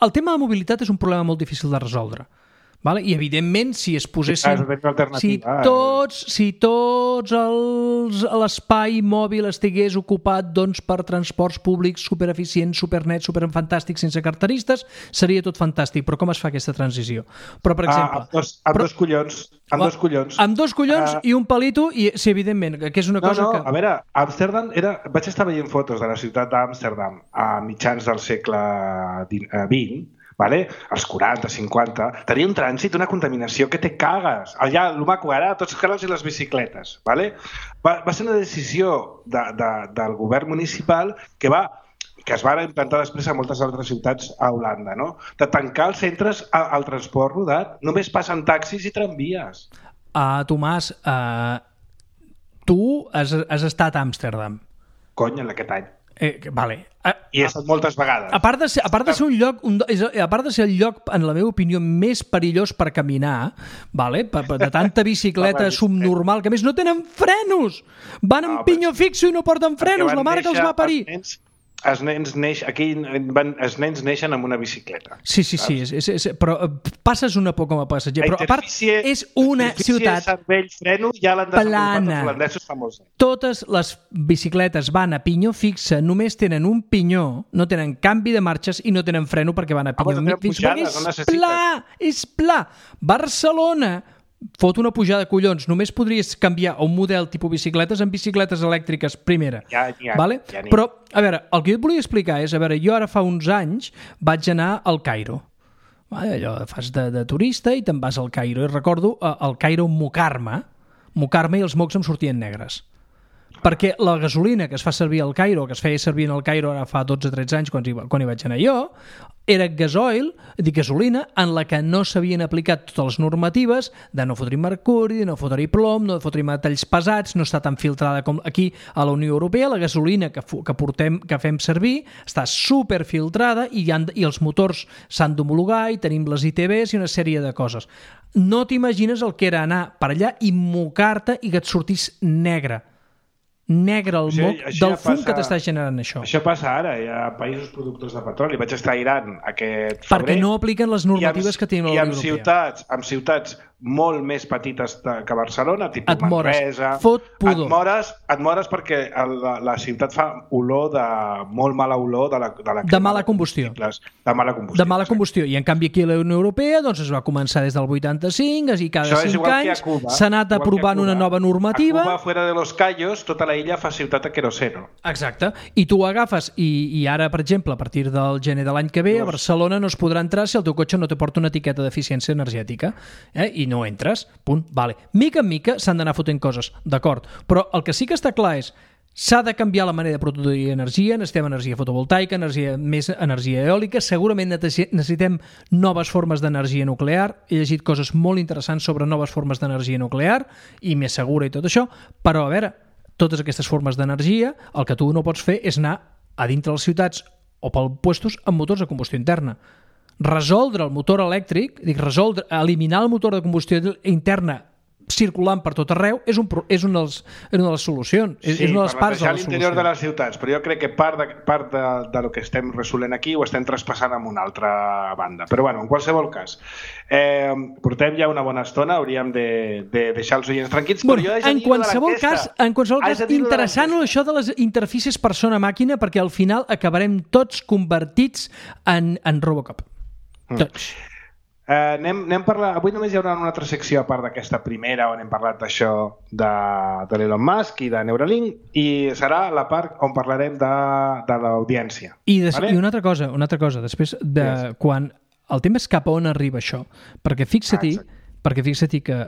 el tema de mobilitat és un problema molt difícil de resoldre. Vale? I evidentment si es posessin si tots l'espai mòbil estigués ocupat per transports públics supereficients, supernets, superfantàstics, sense carteristes, seria tot fantàstic. Però com es fa aquesta transició? Però, per exemple... Amb dos collons. Amb dos collons i un palito, i sí, evidentment, que és una cosa que... A veure, Amsterdam vaig estar veient fotos de la ciutat d'Amsterdam a mitjans del segle XX, vale? Els 40, 50, tenia un trànsit, una contaminació que te cagues. Allà, el maco ara, tots els carrers i les bicicletes. Vale? Va ser una decisió del govern municipal que es va implantar després a moltes altres ciutats a Holanda, no? De tancar els centres al transport rodat. Només passen taxis i tramvies. Tomàs, tu has estat a Amsterdam. Cony, en aquest any. Vale. I he estat moltes vegades. A part de ser el lloc, en la meva opinió, més perillós per caminar, vale? De tanta bicicleta subnormal, que a més no tenen frenos! Van amb pinyó fixo i no porten frenos, la mare que els va parir! Els nens neixen amb una bicicleta. Sí, però passes una por com a passatger. Però a part, és una ciutat plana. Totes les bicicletes van a pinyó fixa, només tenen un pinyó, no tenen canvi de marxes i no tenen freno perquè van a pinyó fixa. És pla. Barcelona fot una pujada de collons. Només podries canviar un model tipus bicicletes en bicicletes elèctriques primera. Vale? Però, a veure, el que jo et volia explicar és, jo ara fa uns anys vaig anar al Cairo. Allò fas de turista i te'n vas al Cairo. I recordo al Cairo mocar-me i els mocs em sortien negres. Perquè la gasolina que es fa servir al Cairo, que es feia servir en el Cairo ara fa 12-13 anys quan hi vaig anar jo, era gasolina en la que no s'havien aplicat totes les normatives de no fotre mercuri, de no fotre plom, no fotre metalls pesats, no està tan filtrada com aquí a la Unió Europea. La gasolina que fem servir està superfiltrada i els motors s'han d'homologar i tenim les ITBs i una sèrie de coses. No t'imagines el que era anar per allà i mocar-te i que et sortís negre el moc del fum que t'està generant això. Això passa ara, hi ha països productors de petroli. Vaig estar a Iran aquest febrer. Perquè no apliquen les normatives que tenim a la Unió Europea. I en ciutats molt més petites que Barcelona, tipus Manresa, et mores perquè la ciutat fa molt mala olor de mala combustió. De mala combustió. I en canvi aquí a la Unió Europea doncs es va començar des del 85 i cada 5 anys s'ha anat aprovant una nova normativa. A Cuba, fuera de los Cayos, tota la illa fa ciutat a queroseno. Exacte. I tu agafes i ara, per exemple, a partir del gener de l'any que ve, a Barcelona no es podrà entrar si el teu cotxe no te porta una etiqueta d'eficiència energètica. I no entres, punt, vale. Mica en mica s'han d'anar fotent coses, d'acord, però el que sí que està clar és s'ha de canviar la manera de produir energia, necessitem energia fotovoltaica, més energia eòlica, segurament necessitem noves formes d'energia nuclear, he llegit coses molt interessants sobre noves formes d'energia nuclear i més segura i tot això, però a veure, totes aquestes formes d'energia, el que tu no pots fer és anar a dintre de les ciutats o pel puestos amb motors de combustió interna. Resoldre el motor elèctric, eliminar el motor de combustió interna circulant per tot arreu és una de les solucions, és una de les parts de la solució. L'interior de les ciutats, però jo crec que part del que estem resolent aquí ho estem traspassant amb una altra banda. Però bueno, en qualsevol cas, portem ja una bona estona, hauríem de deixar els oients tranquils, però jo en qualsevol cas, interessant això de les interfícies persona-màquina, perquè al final acabarem tots convertits en Robocop. Tots. Anem parlar. Avui només hi haurà una altra secció a part d'aquesta primera on hem parlat d'això de l'Elon Musk i de Neuralink, i serà la part on parlarem de l'audiència. I una altra cosa, després quan el tema és cap a on arriba això, perquè fixa-t'hi que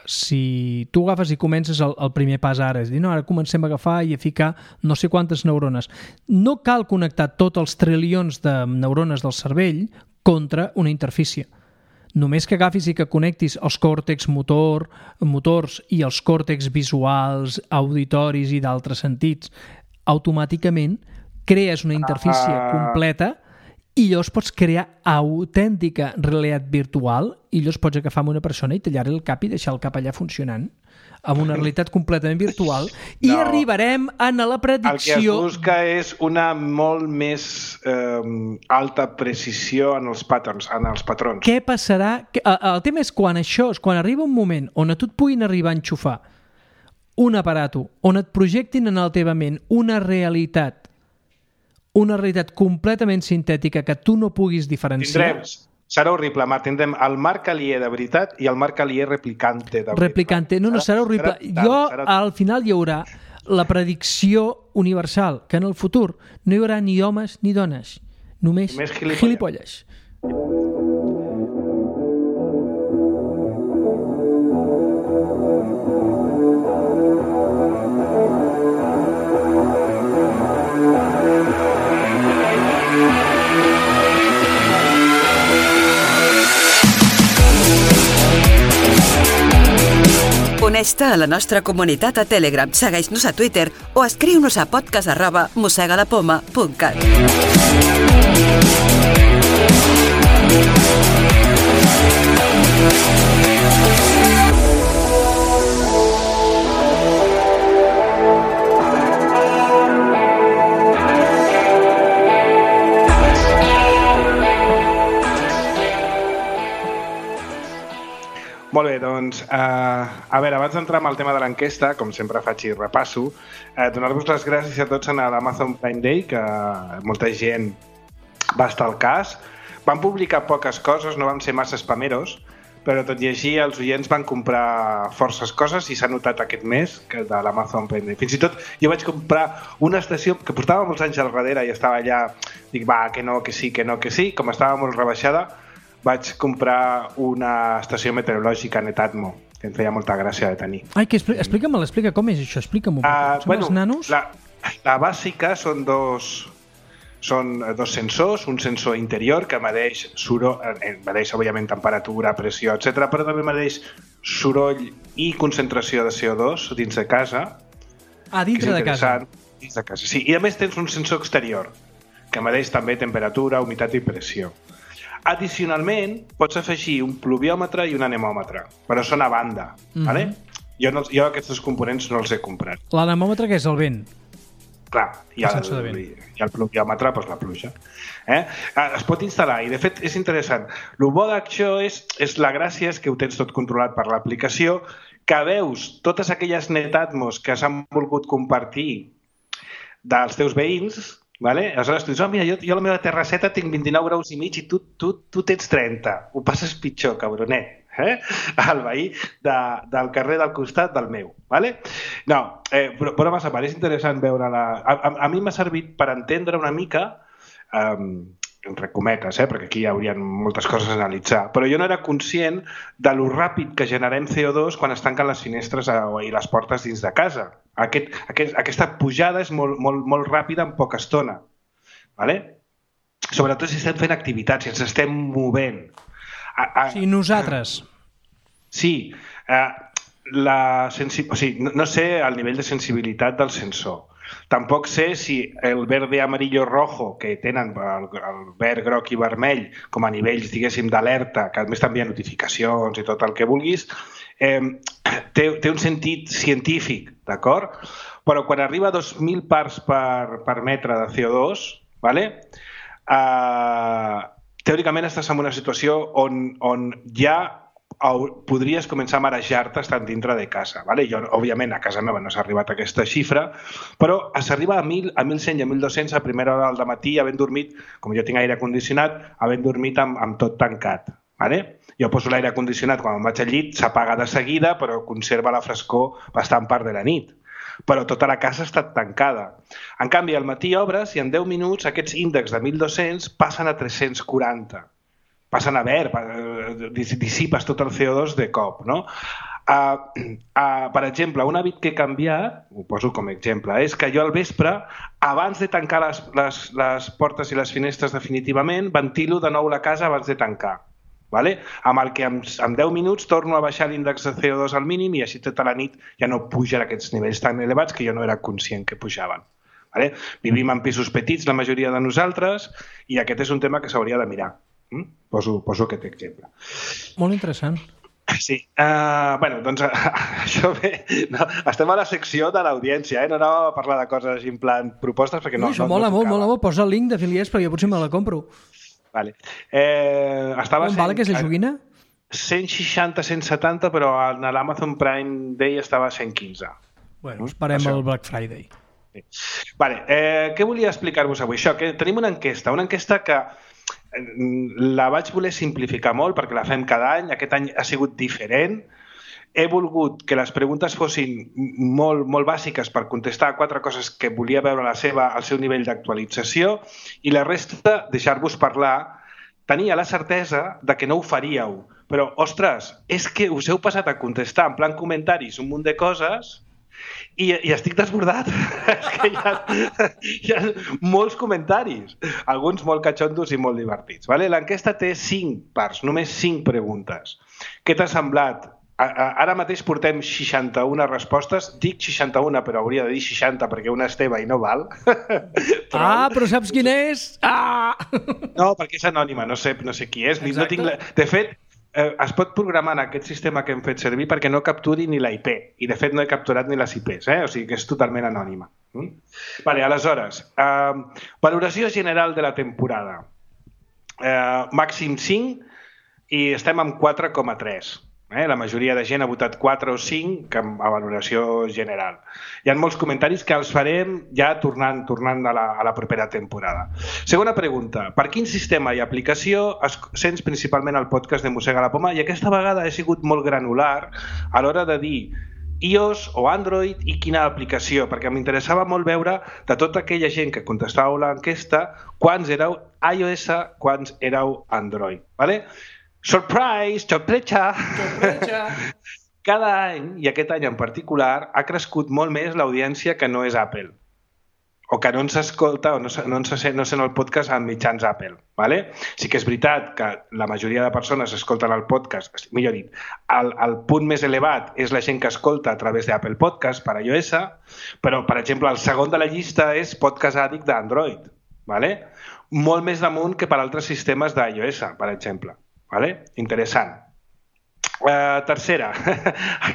si tu agafes i comences el primer pas ara, és dir, no, ara comencem a agafar i a ficar no sé quantes neurones, no cal connectar tots els trilions de neurones del cervell contra una interfície. Només que agafis i que connectis els còrtex motors i els còrtex visuals, auditoris i d'altres sentits, automàticament crees una interfície completa i llavors pots crear autèntica realitat virtual i llavors pots agafar una persona i tallar-li el cap i deixar el cap allà funcionant amb una realitat completament virtual i arribarem a la predicció... El que es busca és una molt més alta precisió en els patrons. Què passarà? El tema és quan arriba un moment on a tu et puguin arribar a enxufar un aparato, on et projectin en la teva ment una realitat completament sintètica que tu no puguis diferenciar... Serà horrible, Marc. Tindrem el Marc Alier de veritat i el Marc Alier replicante de veritat. Replicante. No, serà horrible. Al final hi haurà la predicció universal, que en el futur no hi haurà ni homes ni dones, només gilipolles. Uneix-te a la nostra comunitat a Telegram, segueix-nos a Twitter o escriu-nos a podcast@mossegalapoma.cat. Molt bé, doncs, a veure, abans d'entrar amb el tema de l'enquesta, com sempre faig i repasso, donar-vos les gràcies a tots en l'Amazon Prime Day, que molta gent va estar al cas. Van publicar poques coses, no van ser massa spameros, però tot i així els oients van comprar forces coses i s'ha notat aquest mes que de l'Amazon Prime Day. Fins i tot jo vaig comprar una estació que portava molts anys al darrere i estava allà, dic, va, que no, que sí, com estava molt rebaixada, vaig comprar una estació meteorològica Netatmo, que em feia molta gràcia de tenir. Ai, explica com és això, explica'm-ho. Són els nanos? La bàsica són dos sensors, un sensor interior que medeix òbviament temperatura, pressió, etc, però també medeix soroll i concentració de CO2 dins de casa. Dintre de casa. Dins de casa, sí. I a més tens un sensor exterior que medeix també temperatura, humitat i pressió. Addicionalment, pots afegir un pluviòmetre i un anemòmetre, però són a banda. Vale? Jo aquests dos components no els he comprat. L'anemòmetre que és el vent? Clar, i el pluviòmetre, doncs la pluja. Es pot instal·lar i de fet és interessant. El bo d'això és la gràcia és que ho tens tot controlat per l'aplicació, que veus totes aquelles netatmos que s'han volgut compartir dels teus veïns. Vale? Aleshores tu dius, mira, jo a la meva terrasseta tinc 29 graus i mig i tu tens 30. Ho passes pitjor, cabronet. El veí del carrer del costat del meu. Vale? No, però massa part, és interessant veure-la. A mi m'ha servit per entendre una mica, entre cometes, perquè aquí hi haurien moltes coses a analitzar, però jo no era conscient de lo ràpid que generem CO2 quan es tanquen les finestres i les portes dins de casa. Aquesta pujada és molt ràpida en poca estona. Vale? Sobretot si estem fent activitats, si ens estem movent. Sí, nosaltres. Sí. No sé el nivell de sensibilitat del sensor. Tampoc sé si el verde, amarillo, rojo, que tenen el verd, groc i vermell com a nivells, diguéssim, d'alerta, que a més t'envia notificacions i tot el que vulguis, té un sentit científic, d'acord? Però quan arriba a 2.000 parts per metre de CO2, vale? Teòricament estàs en una situació on ja podries començar a marejar-te estant dintre de casa. Vale? Jo, òbviament, a casa meva no s'ha arribat a aquesta xifra, però s'arriba a 1.000, a 1.100 i a 1.200 a primera hora del matí, havent dormit, com jo tinc aire condicionat, havent dormit amb tot tancat. Vale? Jo poso l'aire condicionat quan em vaig al llit, s'apaga de seguida, però conserva la frescor bastant part de la nit. Però tota la casa ha estat tancada. En canvi, al matí obres i en 10 minuts aquests índexs de 1.200 passen a 340. Passen a verd, dissipes tot el CO2 de cop, no? Per exemple, un hàbit que he canviat, ho poso com a exemple, és que jo al vespre, abans de tancar les portes i les finestres definitivament, ventilo de nou la casa abans de tancar. Vale? Amb el que en 10 minuts torno a baixar l'índex de CO2 al mínim i així tota la nit ja no pugen aquests nivells tan elevats que jo no era conscient que pujaven. Vale? Vivim en pisos petits, la majoria de nosaltres, i aquest és un tema que s'hauria de mirar. Poso aquest exemple. Molt interessant. Sí. Doncs això bé. No, estem a la secció de l'audiència, no anàvem a parlar de coses així en plan propostes perquè no. Això mola molt. Posa el link d'afiliats perquè potser me la compro. Vale. Com vale que és la joguina? 160, 170, però a l'Amazon Prime Day estava a 115. Bueno, esperem el Black Friday. Sí. Vale. Què volia explicar-vos avui? Això, que tenim una enquesta que la vaig voler simplificar molt perquè la fem cada any. Aquest any ha sigut diferent. He volgut que les preguntes fossin molt bàsiques per contestar a 4 coses que volia veure al seu nivell d'actualització i la resta deixar-vos parlar. Tenia la certesa de que no ho faríeu, però, ostres, és que us heu passat a contestar en plan comentaris un munt de coses i estic desbordat. És que hi ha molts comentaris, alguns molt catxondos i molt divertits. Vale? L'enquesta té 5 parts, només 5 preguntes. Què t'ha semblat? Ara mateix portem 61 respostes. Dic 61, però hauria de dir 60 perquè una és teva i no val. Però saps quina és? No, perquè és anònima, no sé qui és. No tinc de fet, es pot programar en aquest sistema que hem fet servir perquè no capturi ni la IP. I de fet no he capturat ni les IPs, o sigui que és totalment anònima. Vale, aleshores, valoració general de la temporada. Màxim 5 i estem amb 4,3. La majoria de gent ha votat 4 o 5 a valoració general. Hi ha molts comentaris que els farem ja tornant a la propera temporada. Segona pregunta. Per quin sistema i aplicació sents principalment el podcast de Mossega la Poma? I aquesta vegada he sigut molt granular a l'hora de dir iOS o Android i quina aplicació, perquè m'interessava molt veure de tota aquella gent que contestàveu l'enquesta quants éreu iOS, quants éreu Android. Vale? Sorpresa! cada any, i aquest any en particular, ha crescut molt més l'audiència que no és Apple, o que no ens escolta o no sent el podcast en mitjans Apple. ¿vale? Sí que és veritat que la majoria de persones escolten el podcast, millor dit, el punt més elevat és la gent que escolta a través d'Apple Podcast per iOS, però, per exemple, el segon de la llista és Podcast Addict d'Android. ¿vale? Molt més damunt que per altres sistemes d'iOS, per exemple. ¿vale? Interessant. Tercera,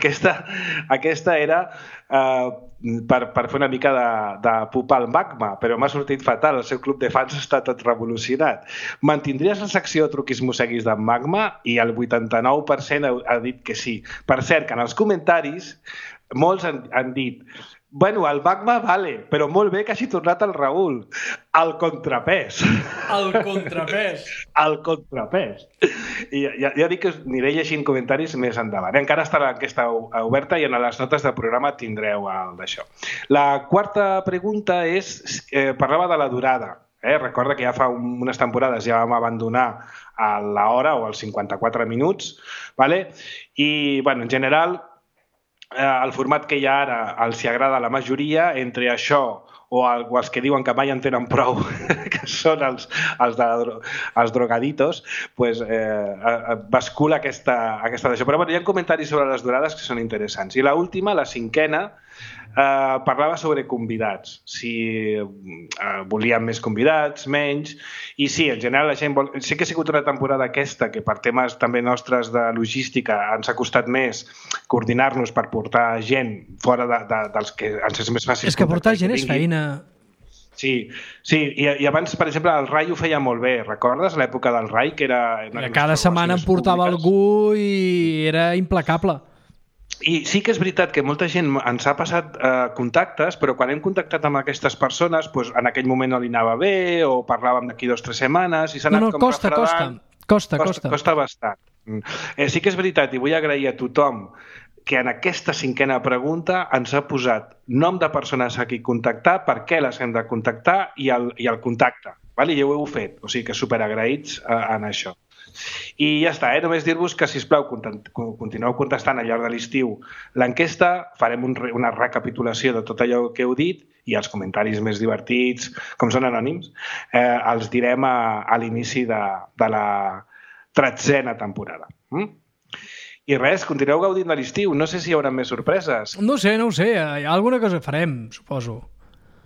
aquesta era per fer una mica de pupar el magma, però m'ha sortit fatal, el seu club de fans està tot revolucionat. Mantindries la secció Truquis Mosseguis d'en Magma? I el 89% ha dit que sí. Per cert, que en els comentaris molts han dit bueno, el Magma vale, però molt bé que hagi tornat el Raül. El contrapès. El contrapès. El contrapès. I ja dic que us aniré llegint comentaris més endavant. Encara està l'enquesta oberta i en les notes del programa tindreu el d'això. La quarta pregunta parlava de la durada. Recorda que ja fa unes temporades ja vam abandonar a l'hora o als 54 minuts. ¿vale? I, bueno, en general, el format que hi ha ara els hi agrada a la majoria, entre això o els que diuen que mai en tenen prou, que són els drogaditos, pues, bascula aquesta d'això. Però bueno, hi ha comentaris sobre les durades que són interessants. I l'última, la cinquena, parlava sobre convidats, si volíem més convidats, menys, i sí, en general la gent vol... Sí que ha sigut una temporada aquesta que per temes també nostres de logística ens ha costat més coordinar-nos per portar gent fora dels que ens és més fàcil. És que portar gent és feina. Sí, i abans, per exemple, el Rai ho feia molt bé, recordes l'època del Rai? Que era cada setmana em portava algú i era implacable. I sí que és veritat que molta gent ens ha passat contactes, però quan hem contactat amb aquestes persones, doncs en aquell moment no li anava bé o parlàvem d'aquí 2 o 3 setmanes i s'ha anat com refredant. Costa bastant. Sí que és veritat i vull agrair a tothom que en aquesta cinquena pregunta ens ha posat nom de persones a qui contactar, per què les hem de contactar i el contacte. I ja ho heu fet, o sigui que superagraïts en això. I ja està, només dir-vos que, sisplau, continueu contestant al llarg de l'estiu l'enquesta, farem una recapitulació de tot allò que heu dit i els comentaris més divertits, com són anònims, els direm a l'inici de la 13a temporada. I res, continueu gaudint de l'estiu. No sé si hi haurà més sorpreses. No ho sé. Alguna cosa farem, suposo.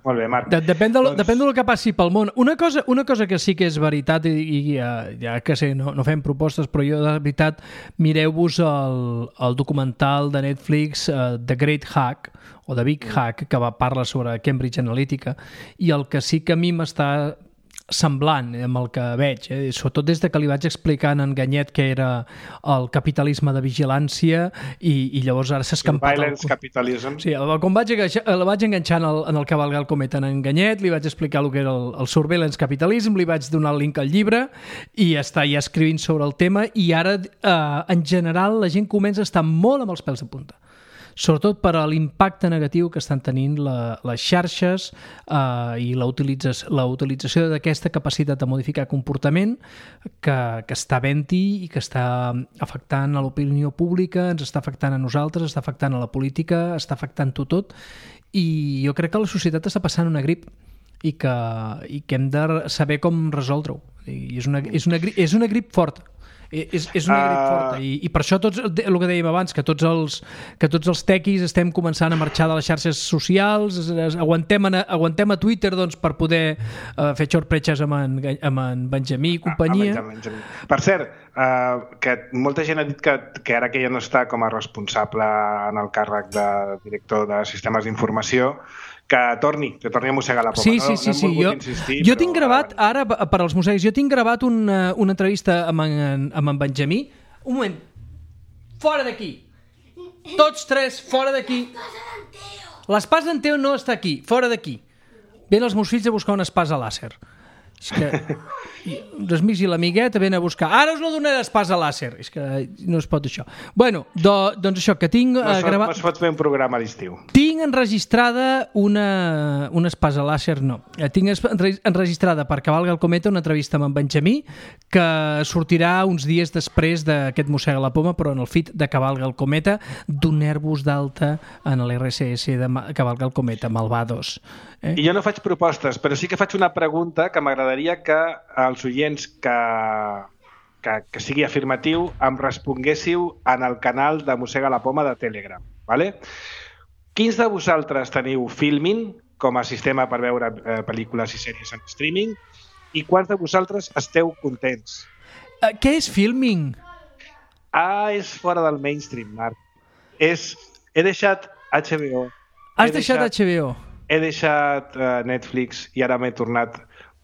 Molt bé, Marc. Depèn del que passi pel món. Una cosa que sí que és veritat, i ja que sé, no fem propostes, però jo de veritat, mireu-vos el documental de Netflix The Great Hack, o The Big Hack, que parla sobre Cambridge Analytica, i el que sí que a mi m'està semblant amb el que veig, sobretot des que li vaig explicar en Ganyet que era el capitalisme de vigilància i llavors ara s'ha escampat... Surveillance capitalism. Sí, quan el vaig enganxar en el cavalgar el cometa en Ganyet, li vaig explicar el que era el surveillance capitalism, li vaig donar el link al llibre i està ja escrivint sobre el tema i ara, en general, la gent comença a estar molt amb els pèls de punta. Sobretot per a l'impacte negatiu que estan tenint les xarxes i la utilització d'aquesta capacitat de modificar comportament que està havent-hi i que està afectant a l'opinió pública, ens està afectant a nosaltres, està afectant a la política, està afectant-ho tot i jo crec que la societat està passant una grip i que hem de saber com resoldre-ho. És una grip forta. És una grip forta i per això el que dèiem abans, que tots els tequis estem començant a marxar de les xarxes socials, aguantem a Twitter doncs, per poder fer xorpretxes amb en Benjamí i companyia. Per cert, que molta gent ha dit que ara que ja no està com a responsable en el càrrec de director de sistemes d'informació, que torni a mossegar la poma. Sí. Jo tinc gravat, ara, per als mosseguis, una entrevista amb en Benjamí. Un moment. Fora d'aquí. Tots tres, fora d'aquí. L'espasa d'en Teo no està aquí. Fora d'aquí. Ven els meus fills a buscar una espasa làser. És que els amics i l'amigueta venen a buscar. Ara us lo donaré d'espasa làser. És que no es pot això. Bueno, doncs això, que tinc... No es pot fer un programa a l'estiu. Tinc enregistrada una espasa làser, no. Tinc enregistrada per Cavalga el Cometa una entrevista amb en Benjamí que sortirà uns dies després d'aquest Mossega la Poma, però en el feed de Cavalga el Cometa, donar-vos d'alta en l'RSS de Cavalga el Cometa, Malvados. I jo no faig propostes, però sí que faig una pregunta que m'agradaria que els oients que sigui afirmatiu em responguéssiu en el canal de Mossega la Poma de Telegram. ¿Vale? Quins de vosaltres teniu Filmin com a sistema per veure pel·lícules i sèries en streaming i quants de vosaltres esteu contents? Què és Filmin? És fora del mainstream, Marc. He deixat HBO. Has deixat HBO? He deixat Netflix i ara m'he tornat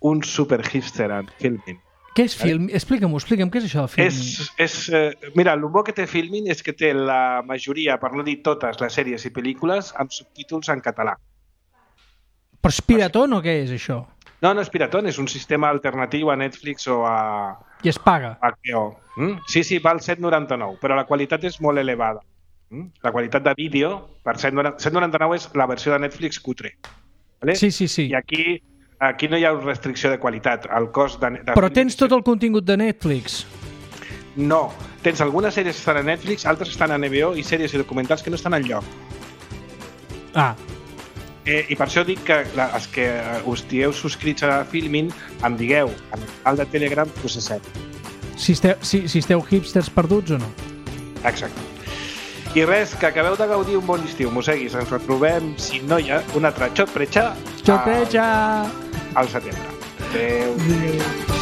un super hipster en Filmin. Què és Filmin? Explica'm, què és això de Filmin? Mira, el bo que té Filmin és que té la majoria, per no dir totes, les sèries i pel·lícules amb subtítols en català. Però és piratón o què és això? No és piratón, és un sistema alternatiu a Netflix o a... I es paga? HBO. Sí, val 7,99, però la qualitat és molt elevada. La qualitat de vídeo per 7,99 és la versió de Netflix cutre. ¿Vale? Sí. I aquí no hi ha restricció de qualitat. El cost de Però tens tot el contingut de Netflix? No. Tens algunes sèries que estan a Netflix, altres estan a HBO i sèries i documentals que no estan enlloc. I per això dic que els que us dieu subscrits a Filmin em digueu en el canal de Telegram que us accepto. Si esteu hipsters perduts o no? Exacte. I res, que acabeu de gaudir un bon estiu, mosseguis. Ens retrobem, si no hi ha un altre xotprecha al setembre. Adéu.